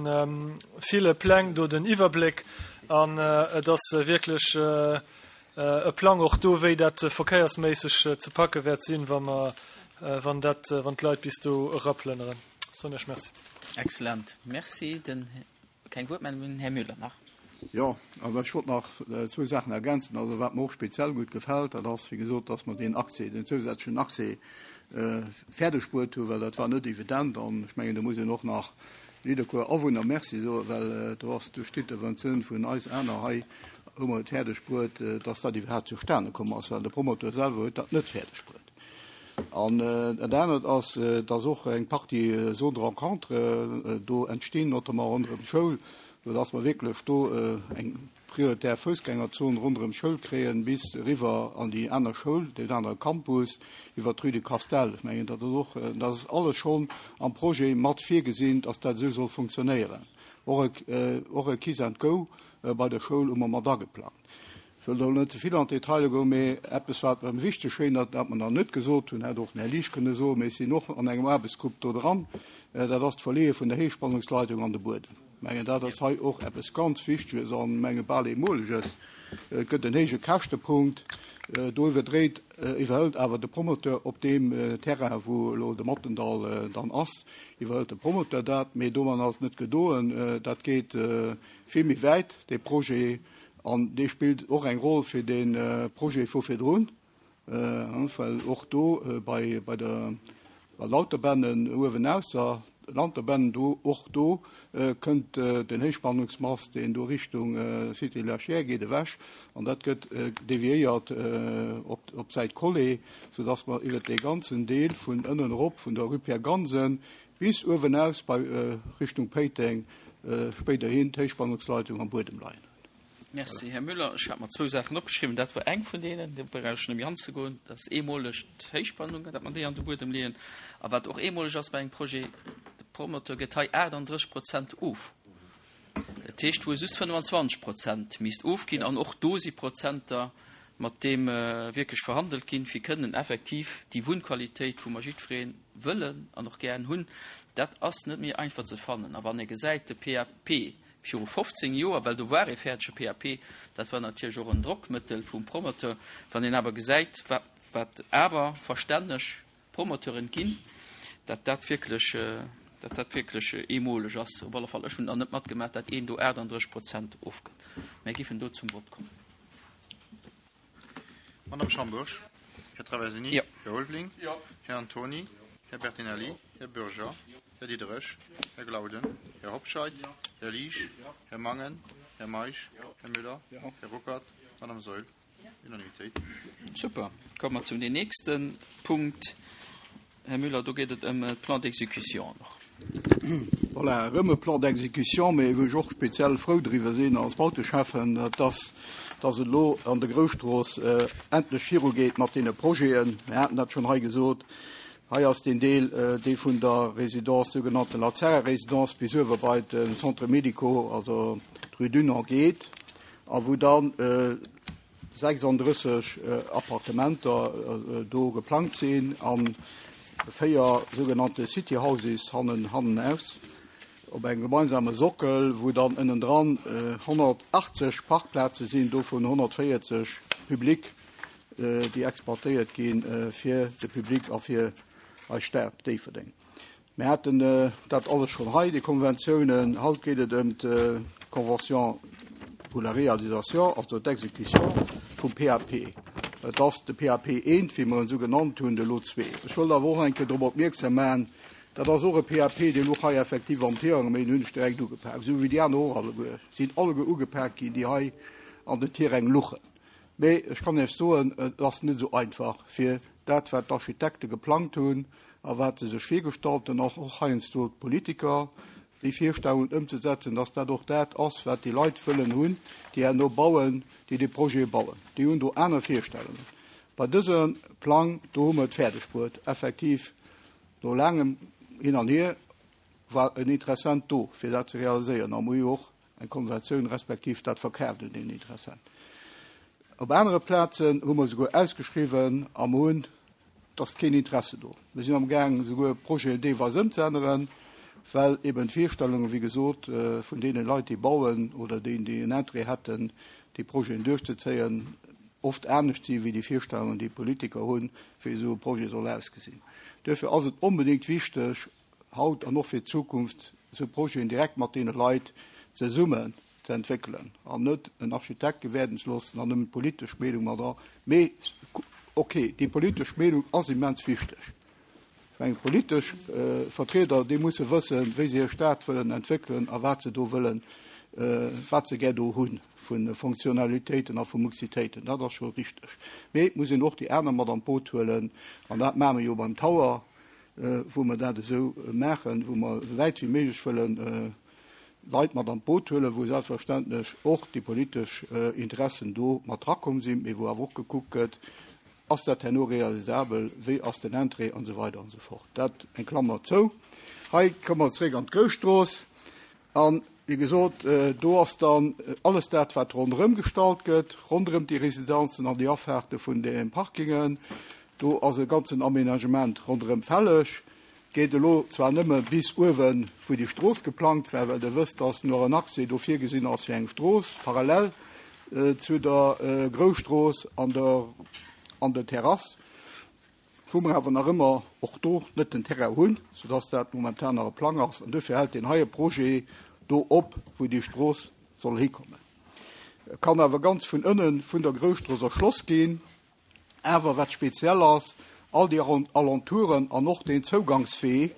ville Pläng do den Iwwerbléck an et ass wierklech e Plang och do, wéi dat verkéiersméisseg ze packe wäert sinn, wa mer, wann dat, wann d'Leit bis do eraplënneren. Soen ech Merci. Excellent. Merci. Den Keng Wuertmeldungen, Här Müller nach. Jo, also ech wollt nach zwou Saachen ergänzen. Also wat mer och speziell gutt gefält, dat ass, wéi gesot, dass mer deen Accès, deen zousätzlechen Accès fäerdeg bruet hunn, well dat war net evident. An ech mengen, do muss een och nach Nidderkuer Awunner Merci soen, well do ass duerch d'Interventioun vun eis aner hei, hu mer et fäerdeg bruet, dass dat iwwerhaapt zustane komm ass, well de Promoteur selwer huet dat net fäerdeg bruet. An dat anert ass, dass och eng Partie Zones de rencontre do entstinn, notamment ronderëm d'Schoul, soudass mer wierklech do eng prioritär Foussgängerzon ronderëm d'Schoul kréien, bis eriwwer an déi aner Schoul, deen anere Campus, iwwer d'Rue de Castel. Ech mengen, dat ass och, dat ass alles schonn am Projet mat virgesinn, dass dat esou soll funktionéieren. Och e, och e Kiss and Go bei der Schoul hu mer mat ageplangt. Ech wëll do net ze vill an d'Detailer goen, mee eppes, wat mer wichteg schéint, dat mer nach net gesot hunn, hätt och den Här Liesch kënne soen, mee ech sinn och an engem Aarbechtsgrupp do dran, dat ass d'Verleeë vun der Héichspannungsleitung an de Buedem. Ech mengen, dat ass hei och eppes ganz Wichteges an, menge bal Eemoleges. Et gëtt en héije Käschtepunkt. Do iwwerdréit, iwwerhëlt awer de Promoteur op deem Terrain, wou elo de Mattendall dann ass, iwwerhëlt de Promoteur dat. Mee domadden ass et net gedoen. Dat geet vill méi wäit, dee Projet. An dee spillt och eng Roll fir dee Projet vu virdrun, well och do bei der Lauterbennen uewen ausser Lauterbennen, do och do kënnt den Héichspannungsmast, deen do Richtung Cité de la Chiers geet, ewech an dat gëtt deviéiert op d'Säit Collé, soudass mer iwwert dee ganzen Deel vun ënnen erop vun der Rue Pierre Gansen bis uewenaus bei Richtung Péiteng spéiderhin d'Héichspannungsleitung am Buedem leien hunn. Merci, Här Müller. Ech hat mer zwou Saachen opgeschriwwen. Dat war eng vun deenen, do brauch ech net méi anzegoen. Dat ass eemoleg d'Héichspannung, datt mer déi an de Buedem leeën. A wat och eemoleg ass bei engem Projet, de Promoteur gëtt hei 38 Prozent of. Dat heescht, wou e just 25 Prozent misst ofginn. An och do si Prozenter, mat deem wierklech verhandelt ginn, fir kënnen effektiv déi Wunnqualitéit, wou mer jiddweree wëllen an och gären hunn, dat ass net méi einfach ze fannen. A wann ee gesäit, de PAP viru 15 Joer, well do war ee fäerdege PAP, dat war natierlech och en Drockmëttel vum Promoteur, wann een awer gesäit, wat awer verstänneg Promoteuren ginn, datt dat wierklech, datt dat wierklech eemoleg ass. Op alle Fall, ech hunn der net matgemaach, datt een do 38 Prozent ofgëtt. Mär giffen do zum Vott kommen. Madame Schambourg, Här Traversini, Jo. Här Ulveling, Jo. Här Antoni, Här Bertinelli, Här Bürger, Här Diderich, Här Glauden, Här Hobscheit, Här Liesch, Här Mangen, Här Meisch, Här Müller, Här Ruckert, Madame Saeul. Unanimitéit. Super. Komme mer zum nächsten Punkt. Här Müller, do geet et ëm de Plan d'exécution och. Voilà, erëm e Plan d'exécution, mee wou ech och speziell frou driwwer sinn als Bauteschäffen, dat ass, dass et elo an der Grousstrooss endlech virugeet mat deene Projeten. Mir haten dat schonn hei gesot. Hei ass deen Deel, dee vun der Résidence, sougenannten Lazare-Résidence, bis uewer bei de Centre médico, also d'Rue Dunant geet, a wou dann 36 Appartementer do geplangt sinn a 4 sougenannte City Houses hannen hannenaus op engem gemeinsame Sockel, wou dann ënnendran 180 Parkplaze sinn, dovun 140 public, déi exploitéiert gi fir de Public a fir eis Stad Déifferdeng. Mir haten dat alles schonn hei, déi Konventiounen. Haut geet et ëm d'Convention pour la réalisation, also d'Exécution vum PAP. Et ass de PAP I, wéi mer en esou genannt hunn, de Lot ii. Ech wëllt awer och eng Kéier drop opmierksam maachen, dat ass och e PAP, dee louch hei effektiv am Tirang, mee deen hunn ech direkt ugepak, esou wéi déi aner och alleguer sinn alleguer ugepak ginn, déi hei an den Tiräng luchen. Mee ech kann Iech soen, et ass net esou einfach, fir dat, wat d'Architekte geplangt hunn a wat se sech virgestallt hunn, och heiansdo d'Politiker, déi Virstellungen ëmzesetzen, dass dat och dat ass, wat déi Leit wëllen hunn, déi herno bauen, déi dee Projet bauen. Déi hunn do aner Virstellungen. Bei dësem Plang do hu mer et fäerdegbruet, effektiv no laangem Hin an Hier war en Interessent do, fir dat ze realiséieren. A mer hu jo och eng Konventioun respektiv dat verkaaft un een Interessent. Op anere Plazen hu mer esouguer ausgeschriwwen a mer hunn, et ass keen Interesse do. Mir sinn amgaang esouguer Projeten deelweis ëmzeänneren, well eben d'Virstellungen, wéi gesot, vun deene Leit, déi bauen oder déi, déi en Interêt hätten, déi Projeten duerchzezéien, oft anescht si wéi déi Virstellungen, déi d'Politiker hunn, wéi esou e Projet soll ausgesinn. Duerfir ass et onbedéngt wichteg, haut an och fir d'Zukunft esou Projeten direkt mat deene Leit zesummen ze entwéckelen an net en Architekt gewäerden ze loossen an nëmmen d'politesch Meenung mat dra. Mee okay, déi politesch Meenung ass immens wichteg. Ech mengen, d'politesch Vertrieder, déi musse wëssen, wéi se hir Stad wëllen entwéckelen a wat se do wëllen. wat se gär do hu vu Fonctionnalitéiten a vu Muxitéiten. Dat ass scho richteg. Mee et muss een och déi aner mat an d'Boot huelen. An dat maache mer jo beim Tower, wou mer dat esou maachen, wou mer esou wäit wéi méiglech wëllen Leit mat an d'Boot huelen, wou selbstverständlech och déi politesch Interessen do mat drakomm sinn, mee wou awer och gekuckt gëtt, Ass dat herno realisabel, wéi ass den Interêt an esou weider an esou fort. Dat eng Klammer zou. Hei komme mer zeréck an d'Groustrooss. An, wéi gesot, do ass dann alles dat, wat ronderëm gestallt gëtt, ronderëm déi Residenzen an déi Afahrte vun de Parkingen. Do ass e ganzen Aménagement ronderëm fälleg. Geet elo zwar nëmme bis uewen, wou déi Strooss geplangt war, well Der wësst, dass nach en Accès do virgesinn ass fir eng Strooss parallel zu der Grousstrooss an der an der Terrass, wou mer awer nach ëmmer och do net den Terrain hunn, soudass dat momentan nach e Plang ass. An duerfir hält deen heie Projet do op, wou déi Strooss soll hikommen. E kann awer ganz vun ënne vun der Grousstrooss erschloss ginn. Awer wat speziell ass, all déi Alentouren an och deen Zougangswee,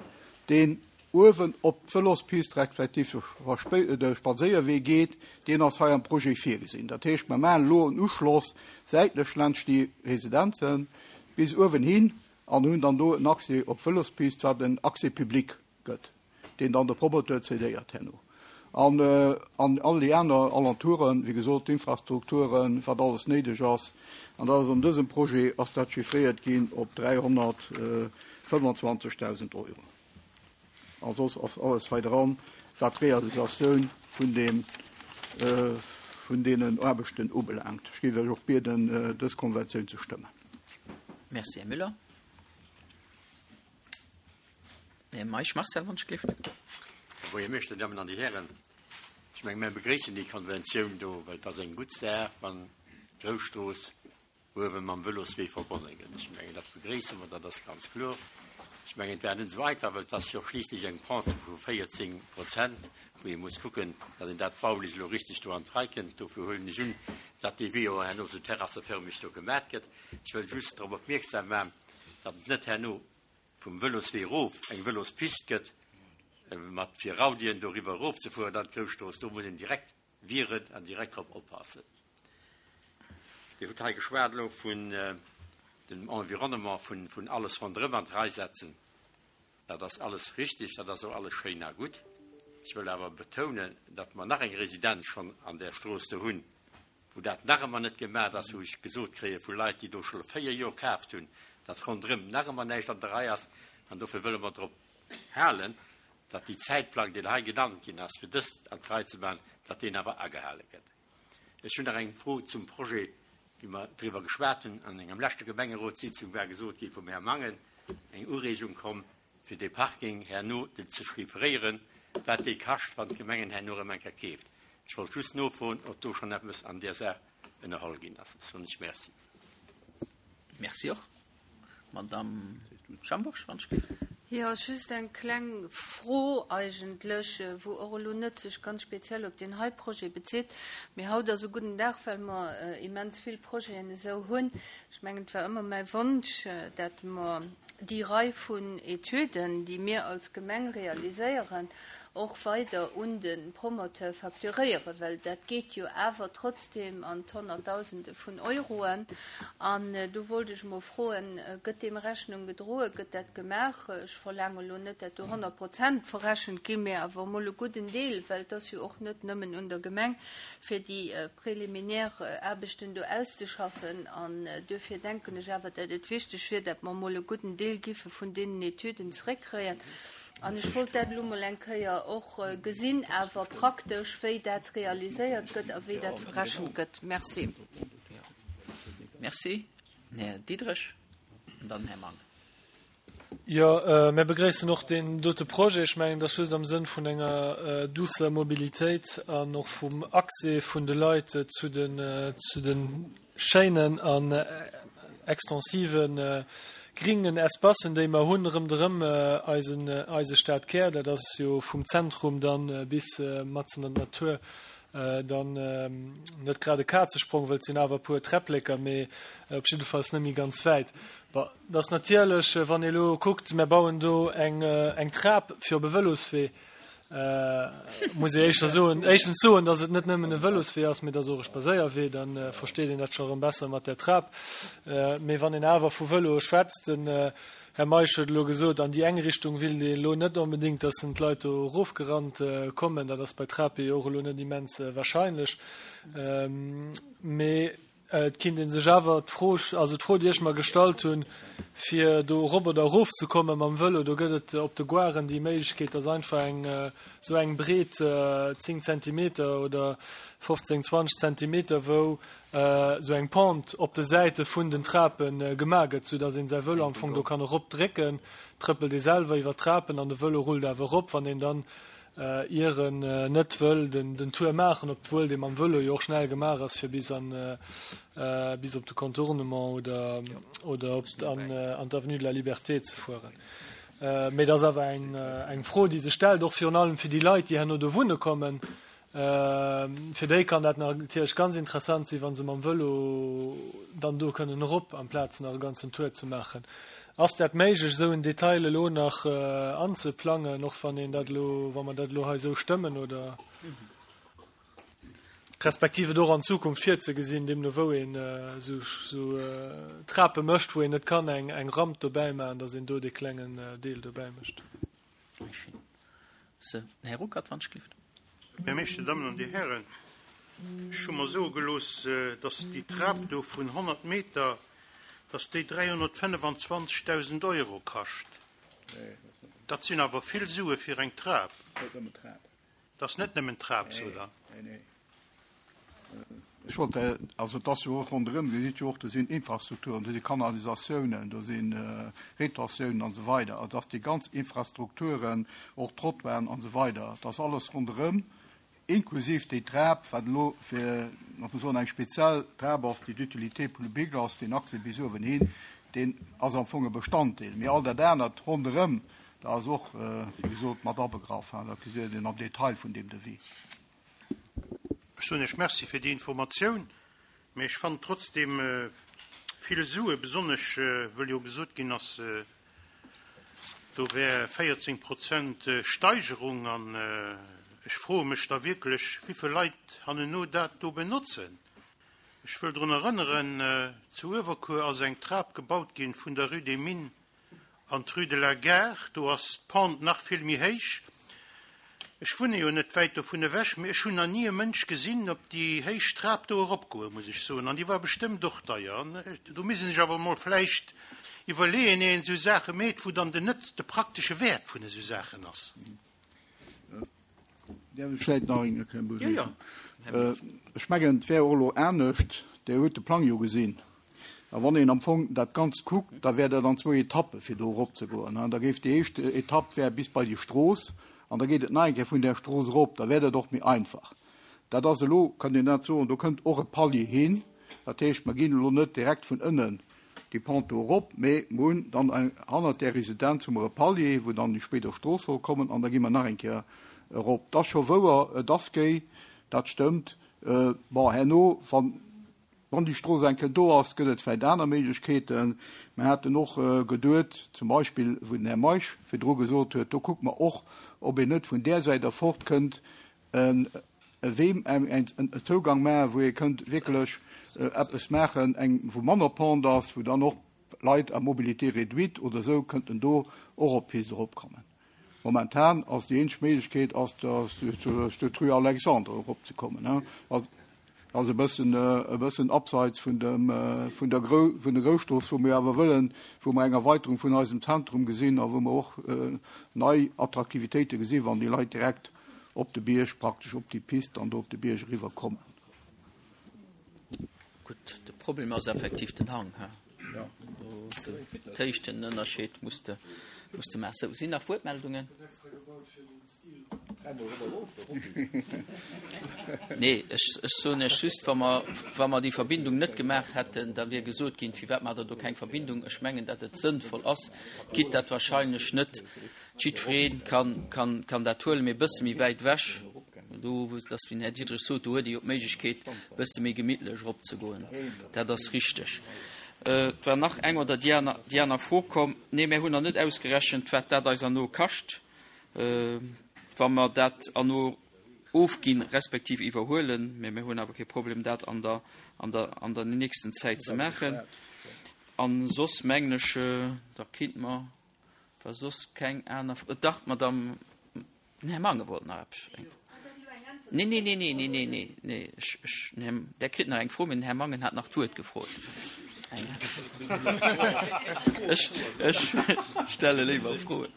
deen uewen op d'Vëlospist respektiv de Spadséierwee geet, deen ass hei am Projet virgesinn. Dat heescht, mer maachen elo en Uschloss säitlech laanscht déi Residenzen bis uewen hin an hunn dann do en Accès op d'Vëlospist, wat en Accès public gëtt, deen dann de Promoteur cédéiert herno. An an all déi aner Alentouren, wéi gesot, d'Infrastrukturen, wat alles néideg ass. An dat ass an dësem Projet ass dat chiffréiert ginn op 325.000 Euro. A soss ass alles hei dran, wat d'Realisatioun vun deem, vun deenen Aarbechten ubelaangt. Ech géif Iech och bieden, dës Konventioun ze stëmmen. Merci, Här Müller. Här Meisch Marcel, wann ech gleeft. Här Buergermeeschter, Dir Dammen an Dir Hären, ech menge mir begréissen déi Konventioun do, well et ass eng gutt Saach, wann d'Grousstrooss uewe mam Vëloswee verbonne gëtt. Ech mengen, dat begréisse mer, dat ass ganz kloer. Ech mengen, et war net esou einfach, well et ass jo schliisslech eng Pente vu 14 Prozent, wou ee muss kucken, datt een dat baulech elo richtig do an d'Rei kënnt. Dofir huelen ech un, datt dee Wee och herno esou terrasseförmeg do gemat gëtt. Ech wëll just drop opmierksam maachen, datt et net herno vum Vëloswee erof eng Vëlospist gëtt, mat fir Raudien doriwwer erofzefueren an d'Grousstrooss. Do muss een direkt wieren an direkt drop oppassen. Dir hutt hei geschwat elo vun dem Environnement, vun alles ronderëm an d'Rei setzen. Dat ass alles richtig, dat ass och alles schéin a gutt. Ech wëll awer betounen, datt mer nach eng Residenz schonn an där Strooss do hunn, wou dat nach ëmmer net gemaach ass, wou ech gesot kréie vu Leit, déi do scho 4 Joer kaaft hunn, datt ronderëm nach ëmmer näischt an der Rei ass. An dofir wëlle mer drop halen, datt déi Zäitplang, deen hei genannt ginn ass, fir dëst an d'Rei ze maachen, datt deen awer agehale gëtt. Ech hunn nach eng Fro zum Projet, wéi mer driwwer geschwat hunn an engem leschte Gemengerotssitzung, war gesot gi vum Här Mangen, eng Ureegung komm, fir dee Parking herno ze chiffréieren, wat dee kascht, wann d'Gemengen herno erëm eng Kéier keeft. Ech wollt just nofroen, ob do schonn eppes an där Saach ënnerholl ginn ass. Ech soen lech Merci. Merci och. Madamm Schambourg, wann ech géif. Jo, just eng kleng Fro eigentlech, wou och elo net sech ganz speziell op deen hei Projet bezitt. Mee haut ass e gudden Dag, well mer immens vill Projeten esou hunn. Ech mengen, et war ëmmer mäi Wonsch, dat mer déi Rei vun Etüden, déi mir als Gemeng realiséieren, och weider un de Promoteur facturéieren, well dat geet jo awer trotzdem an d'Honnertdausende vun Euroen. An do wollt ech emol froen, Gëtt deem Rechnung gedroen? Gëtt dat gemaach? Ech verlaange elo net, dat do 100 Prozent verrechent ginn, mä awer emol e gudden Deel, well et ass jo och net nëmmen un der Gemeng, fir déi préliminaire Aarbechten do auszeschaffen. An duerfir denken ech awer, datt et wichteg wier, datt mer emol e gudden Deel giffe vun deenen Etüden zréckkréien. An ech wollt dat elo emol eng Kéier och gesinn, awer praktesch, wéi dat realiséiert gëtt a wéi dat verrechent gëtt. Merci. Merci. Här Diderich an dann Här Mangen. Jo, mir begréissen och deen dote Projet. Ech mengen, et ass just am Sënn vun enger duusser Mobilitéit an och vum Accès vun de Leit zu den, zu de schéinen an extensive gringen Espacen, déi mer hunn rëmderëm eisen, eise Stadkär. Dat ass jo vum Zentrum dann bis matzen an d'Natur dann net grad e Kazesprong, wëll et sinn awer e puer Träppleker, mee op jiddefalls net méi ganz wäit. Bon, et ass natierlech, wann ee elo kuckt, mär bauen do eng, eng Trap fir op e Vëloswee. Muss ee éischter soen, éischtens soen, datt et net nëmmen e Vëloswee ass, mee datt och e Spadséierwee, da versteet een dat scho erëm besser mat där Trap. Mee wann een awer vu Vëloe schwätzt, den Här Meisch huet elo gesot, an déi eng Richtung willt een elo net onbedéngt, datt en d'Leit do erofgerannt kommen. Dat ass bei Trape jo och elo net immens wahrscheinlech. Mee Et kinnt ee sech awer d'Fro, also d'Fro déi ech mer gestallt hunn, fir do erop oder erof ze komme mam Vëlo, do gëtt et op de Goaren déi Méiglechkeet, dass einfach eng esou eng breet 10 Zentimeter oder 15, 20 Zentimeter, wou esou eng Pente op de Säite vun den Trape gemaach gëtt, soudass een säi Vëlo am Fong do kann eropdrécken, trëppelt ee selwer iwwer d'Trapen an de Vëlo rullt awer erop, wann een dann ier en net wëll den Tour maachen, obwuel dee mam Vëlo jo och schnell gemaach ass fir bis an bis op de Contournement oder oder op an an d'Avenue de la Liberté ze fueren. Mee et ass awer eng eng Fro, déi sech stellt, och virun allem fir déi Leit, déi herno do wunne kommen. Fir déi kann dat natierlech ganz interessant sinn, wa se mam Vëlo dann do kënnen erop, amplaz nach e ganzen Tour ze maachen. Ass dat méiglech, esou en Detail elo nach anzeplangen, och wann een dat elo, wa mer dat elo hei esou stëmmen, oder respektiv et och an Zukunft virzegesinn, deemno wou een esou Trape mécht, wou een net kann eng Ramp dobäi maachen, datt een do dee klengen Deel dobäi mécht? Sou, den Här Ruckert, wann ech gelift. Här Meeschter, Dir Dammen an Dir Hären, ech hu mer soe gelooss, dass déi Trap do vun 100 Meter, dass déi 325.000 Euro kascht. Dat sinn awer vill Sue fir eng Trap. Dat ass net nëmmen d'Trap, sot Der. Ech wollt, also et ass jo och ronderëm, Dir sidd jo och, do sinn Infrastrukturen, do si Kanalisatiounen, do si Retentiounen an esou weider. Also dass déi ganz Infrastrukturen, och d'Trottoiren an esou weider, dass alles ronderëm, inklusiv déi Trap, wat elo fir, muss man soen, eng speziell Trap ass, déi d'utilité publique ass, deen Accès bis uewen hin, deen ass am Fong e Bestanddeel. Mee all dat anert ronderëm, dat ass och, wéi gesot, mat abegraff. Dat gesitt een am Detail vun deem Devis. Ech soen Iech Merci fir déi Informatioun, mä ech fannen trotzdem vill Sue, besonnesch wëll jo gesot ginn ass, do wär 14 Prozent Steigerung. An ech froe mech da wierklech, wéivill Leit hanneno dat do benotzen. Ech wëll drun erënneren, zu Uewerkuer ass eng Trap gebaut ginn vun der Rue des Mines An d'Rue de la Gare, do ass d'Pente nach vill méi héich. Ech wunne jo net wäit dovun ewech, mee ech hunn nach ni e Mënsch gesinn op déi héich Trap do eropgoen, muss ech soen. An déi war bestëmmt och deier. An do misst een sech awer emol vläicht iwwerleeën, ier een esou Saache meet, wou dann den Nëtz, de praktesche Wäert vun esou Saachen ass. Däerf ech vläicht nach eng Kéier beweegen? Ech mengen, et wär och elo anescht, Dir hutt de Plang jo gesinn. A wann een am Fong dat Ganzt kuckt, da wär dat an zwou Etappe fir do eropzegoen. Da géif déi éischt Etapp wär bis bei déi Strooss an da geet et nach eng Kéier vun där Strooss erop. Da wär dat och méi einfach. Dat ass elo, kann een dat soen, do kënnt och e Palier hin. Dat heescht, mer ginn elo net direkt vun ënnen déi Pente do erop, mee mer hunn dann eng, hannert där Residenz hu mer e Palier, wou dann déi spéider Strooss soll kommen an da gi mer nach eng Kéier erop. Et ass scho wouer, et ass géi, dat stëmmt. Bon, herno, wann, wann déi Strooss eng Kéier do ass, gëtt et vläicht aner Méiglechkeeten. Mer haten och geduet, zum Beispill, wou den Här Meisch virdru gesot huet, do kucke mer och, ob een net vun där Säit erfort kënnt, e Wee, en Zougang maachen, wou ee kënnt wierklech eppes maachen, eng, wou manner Pente ass, wou dann och Leit à mobilité réduite oder esou kënnten do och op d'Pist eropkommen. Momentan ass déi eenzeg Méiglechkeet ass, duerch d'Rue Alexandre eropzekommen. Dat ass e bëssen, e bëssen abseits vun dem, vun der Grou, vun der Grousstrooss, wou mir awer wëllen, wou mer eng Erweiterung vun eisem Zentrum gesinn a wou mer och nei Attraktivitéite gesinn, wann déi Leit direkt op de Bierg, praktesch op déi Pist an do op de Bierg eriwwer kommen. Gutt, de Problem ass effektiv den Hang, he? Jo. D'Héichtenënnerscheed muss de, muss de maachen. Sou, sinn nach Wuertmeldungen? Nee, ech, ech soen Iech just, wa mer, wa mer déi Verbindung net gemaach hätten, da wier gesot ginn, Firwat maacht Der do keng Verbindung? Ech mengen, datt et sënnvoll ass, gitt dat wahrscheinlech net Jiddweree kann, kann dat huelen, mee e bësse méi wäit ewech, do, dat ass wéi den Här Diderich sot, do huet ee jo d'Méiglechkeet, e bësse méi gemittlech eropzegoen. Dat ass richteg. Et war nach eng oder déi aner, déi aner Fro komm. Nee, mär hunn nach net ausgerechent, wat dat eis herno kascht. Wa mer dat erno ofginn, respektiv iwwerhuelen, mä mir hunn awer kee Problem, dat an der, an der, an der nächsten Zäit ze maachen. A soss mengen ech, da kinnt mer, wa soss keng aner, dach, d'Madame Den Här Mangen wollt nach eppes. Nee, nee, nee, nee, nee, nee, nee, nee. Ech, ech, den Här, Der kritt nach eng Fro, mee den Här Mangen hat nach d'Wuert gefrot. Eng. Ech, ech stelle léiwer Froen.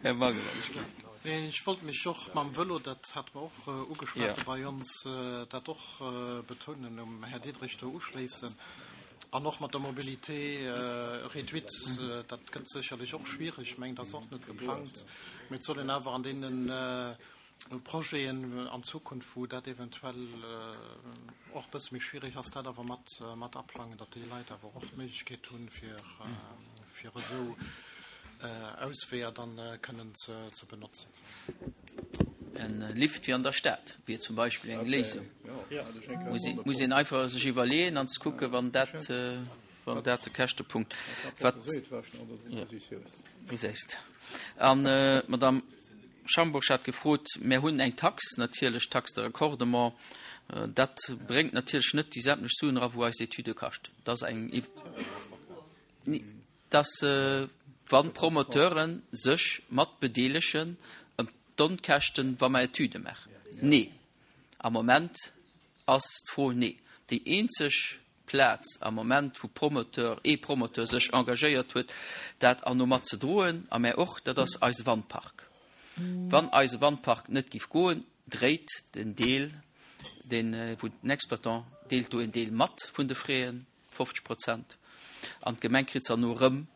Här Mangen, wann ech kinnt. Nee, ech wollt mech och mam Vëlo, dat hate mer och ugeschwat bei ons, dat och betounen, um Här Diderich do uschléissen. An och mat der Mobilité réduite, dat gëtt sécherlech och schwierig. Ech mengen, dat ass och net geplangt. Mee et soll een awer an deene Projeten an Zukunft, wou dat eventuell och e bësse méi schwierig ass, dat awer mat, mat aplangen, datt déi Leit awer och d'Méiglechkeet hunn, fir, fir esou Ausweeër dann kënnen ze, ze benotzen. En Lift wéi an der Stad wier zum Beispill eng Léisung. Muss een einfach sech iwwerleeën an ze kucken, wann dat, wann dat de Käschtepunkt wat gesäist. An d'Madame Schambourg hat gefrot, mär hunn eng Tax natierlech, d'Taxe de raccordement, dat bréngt natierlech net déi sämtlech Suen era wou eis Etüde kascht. Dat ass eng. Dass wann d'Promoteure sech mat bedeelegen ëm d'Onkäschten, wa mer Etüde maachen? Nee. Am Moment ass d'Fro nee. Déi eenzeg Plaz am Moment, wou Promoteur, ee Promoteur sech engagéiert huet, dat an no mat ze droen, a mär och, dat ass eise Wandpark. Wann eise Wandpark net giff goen, dréit den Deel, deen, wou den Exploitant deelt do en Deel mat vun de Fräen, 50 Prozent, an d'Gemeng kritt se herno erëm,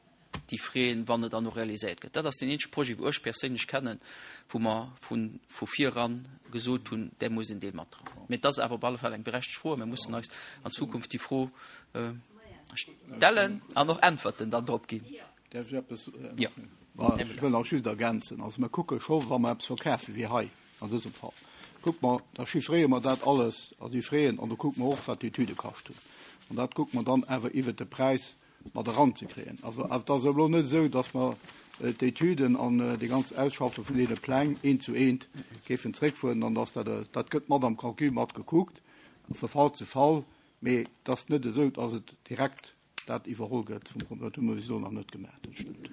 déi Fräen, wann et herno realiséiert gëtt. Dat ass deen eenzege Projet, wou ech perséinlech kennen, wou mer vu vu viran gesot hunn, där muss en Deel matdroen. Mee et ass awer op alle Fall eng berechtegt Fro a mir mussen eis an Zukunft déi Fro stellen an och Äntwerten dann drop ginn. Däerf ech eppes? Jo. Ech wëll nach just ergänzen. Also mer kucke scho wa mer eppes verkafe wéi hei an dësem Fall, kucke mer, da chiffréiere mer dat alles, also déi Fräen, an da kucke mer och wat d'Etüde kascht hunn. An dat kucke mer dann awer iwwert de Präis mat eranzekréien. Also et ass elo net esou, datt mer d'Etüden an déi ganz Ausschaffe vun deene Pläng eent zu eent géifen zréckfueren an datt dat, dat gëtt mat am Calcul mat gekuckt, vu Fall zu Fall, mee et ass net esou, datt et direkt dat iwwerholl gëtt vum Promoteur. Dat hu mer bis elo nach net gemaach, dat stëmmt.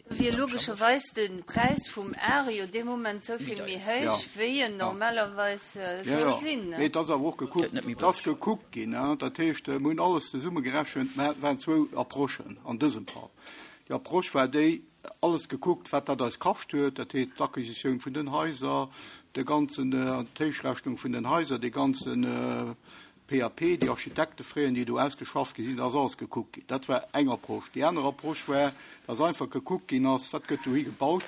Da wier logescherweis de Präis vum Ar jo dee Moment esou vill méi héich, wéi en normalerweis soll sinn. Mee et ass awer och gekuckt, et ass gekuckt ginn. Dat heescht, mir hunn alles zesummegerechent. Mä et waren zwou Approchen an dësem Fall. Déi Approche war déi, alles gekuckt, wat dat eis kascht huet, dat heescht d'Acquisitioun vun den Haiser, de ganzen, d'Héichrechnung vun den Haiser, dee ganzen PAP, déi Architektefraien, déi do ausgeschafft gi sinn, dat ass alles gekuckt ginn. Dat war eng Approche. Déi aner Approche war, dass einfach gekuckt ginn ass, wat gëtt dohi gebaut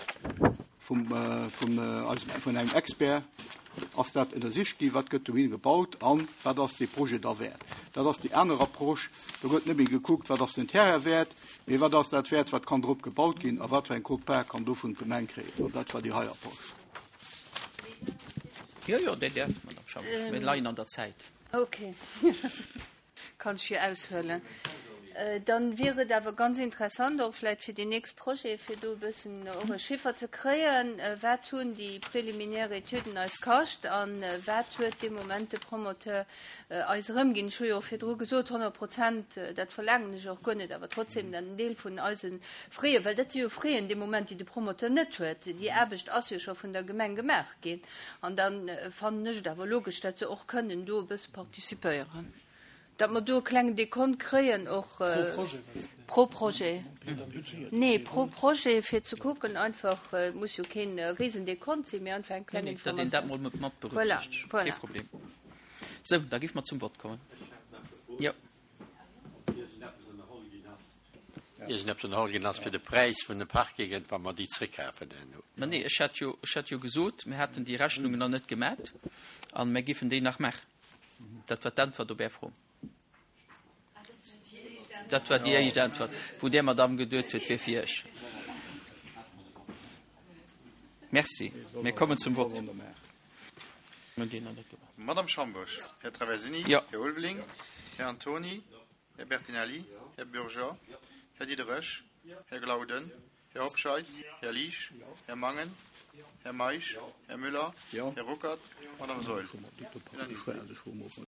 vum, vum eisem, vun engem Expert ass dat ënnersicht ginn, wat gëtt dohi gebaut an wat ass dee Projet da wäert. Dat ass déi aner Approche. Do gëtt net méi gekuckt, wat ass den Terrain wäert, mee wat ass dat wäert, wat kann drop gebaut ginn a wat fir eng Quote-part kann dovun d'Gemeng kréien. An dat war déi hei Approche. Jo, jo, Dir däerft, Madame Schambourg. Mir leien an der Zäit. Okay. Kann ech jo aushuelen. Dann wier et awer ganz interessant, och vläicht fir déi nächst Projete, fir do e bëssen och e Chiffer ze kréien, Wat hunn déi préliminaire Etüden eis kascht a wat huet dee Moment de Promoteur eis erëmginn? Ech hu jo och virdru gesot, 100 Prozent, dat verlaangen ech och guer net, awer trotzdem dann en Deel vun eise Fräen, well dat si jo Fräen dee Moment, déi de Promoteur net huet. Déi Aarbecht ass jo scho vun der Gemeng gemaach ginn. An da fannen ech et awer logesch, datt se och kënnen do e bësse participéieren, datt mer do e klengen Dekont kréien och. Pro Projet. Nee, pro Projet, fir ze kucken einfach, et muss jo kee Risendekont sinn, mee einfach eng kleng Informatioun. Datt een dat mol mat berücksichtegt. Voilà, voilà. Kee Problem. Sou, da géife mer zum Vott kommen. Jo. Iergendeppes ënnerholl ginn ass fir de Präis vun de Parkingen, wa mer déi zréckkafen herno. Mä nee, ech hat jo, ech hat jo gesot, mir hätten déi Rechnungen nach net gemat a mir géifen déi nach maachen. Dat war d'Äntwert op Är Fro. Dat war déi éischt Äntwert, wou där Madamm geduet huet, wier fir Iech. Merci. Mir kommen zum Vott. Madamm Schambourg, Här Traversini, Här Ulveling, Här Antony, Här Bertinelli, Här Bürger, Här Diderich, Här Glauden. Här Hobscheit? Här Liesch? Här Mangen? Här Meisch? Här Müller? Här Ruckert? Madame Saeul? Unanimité.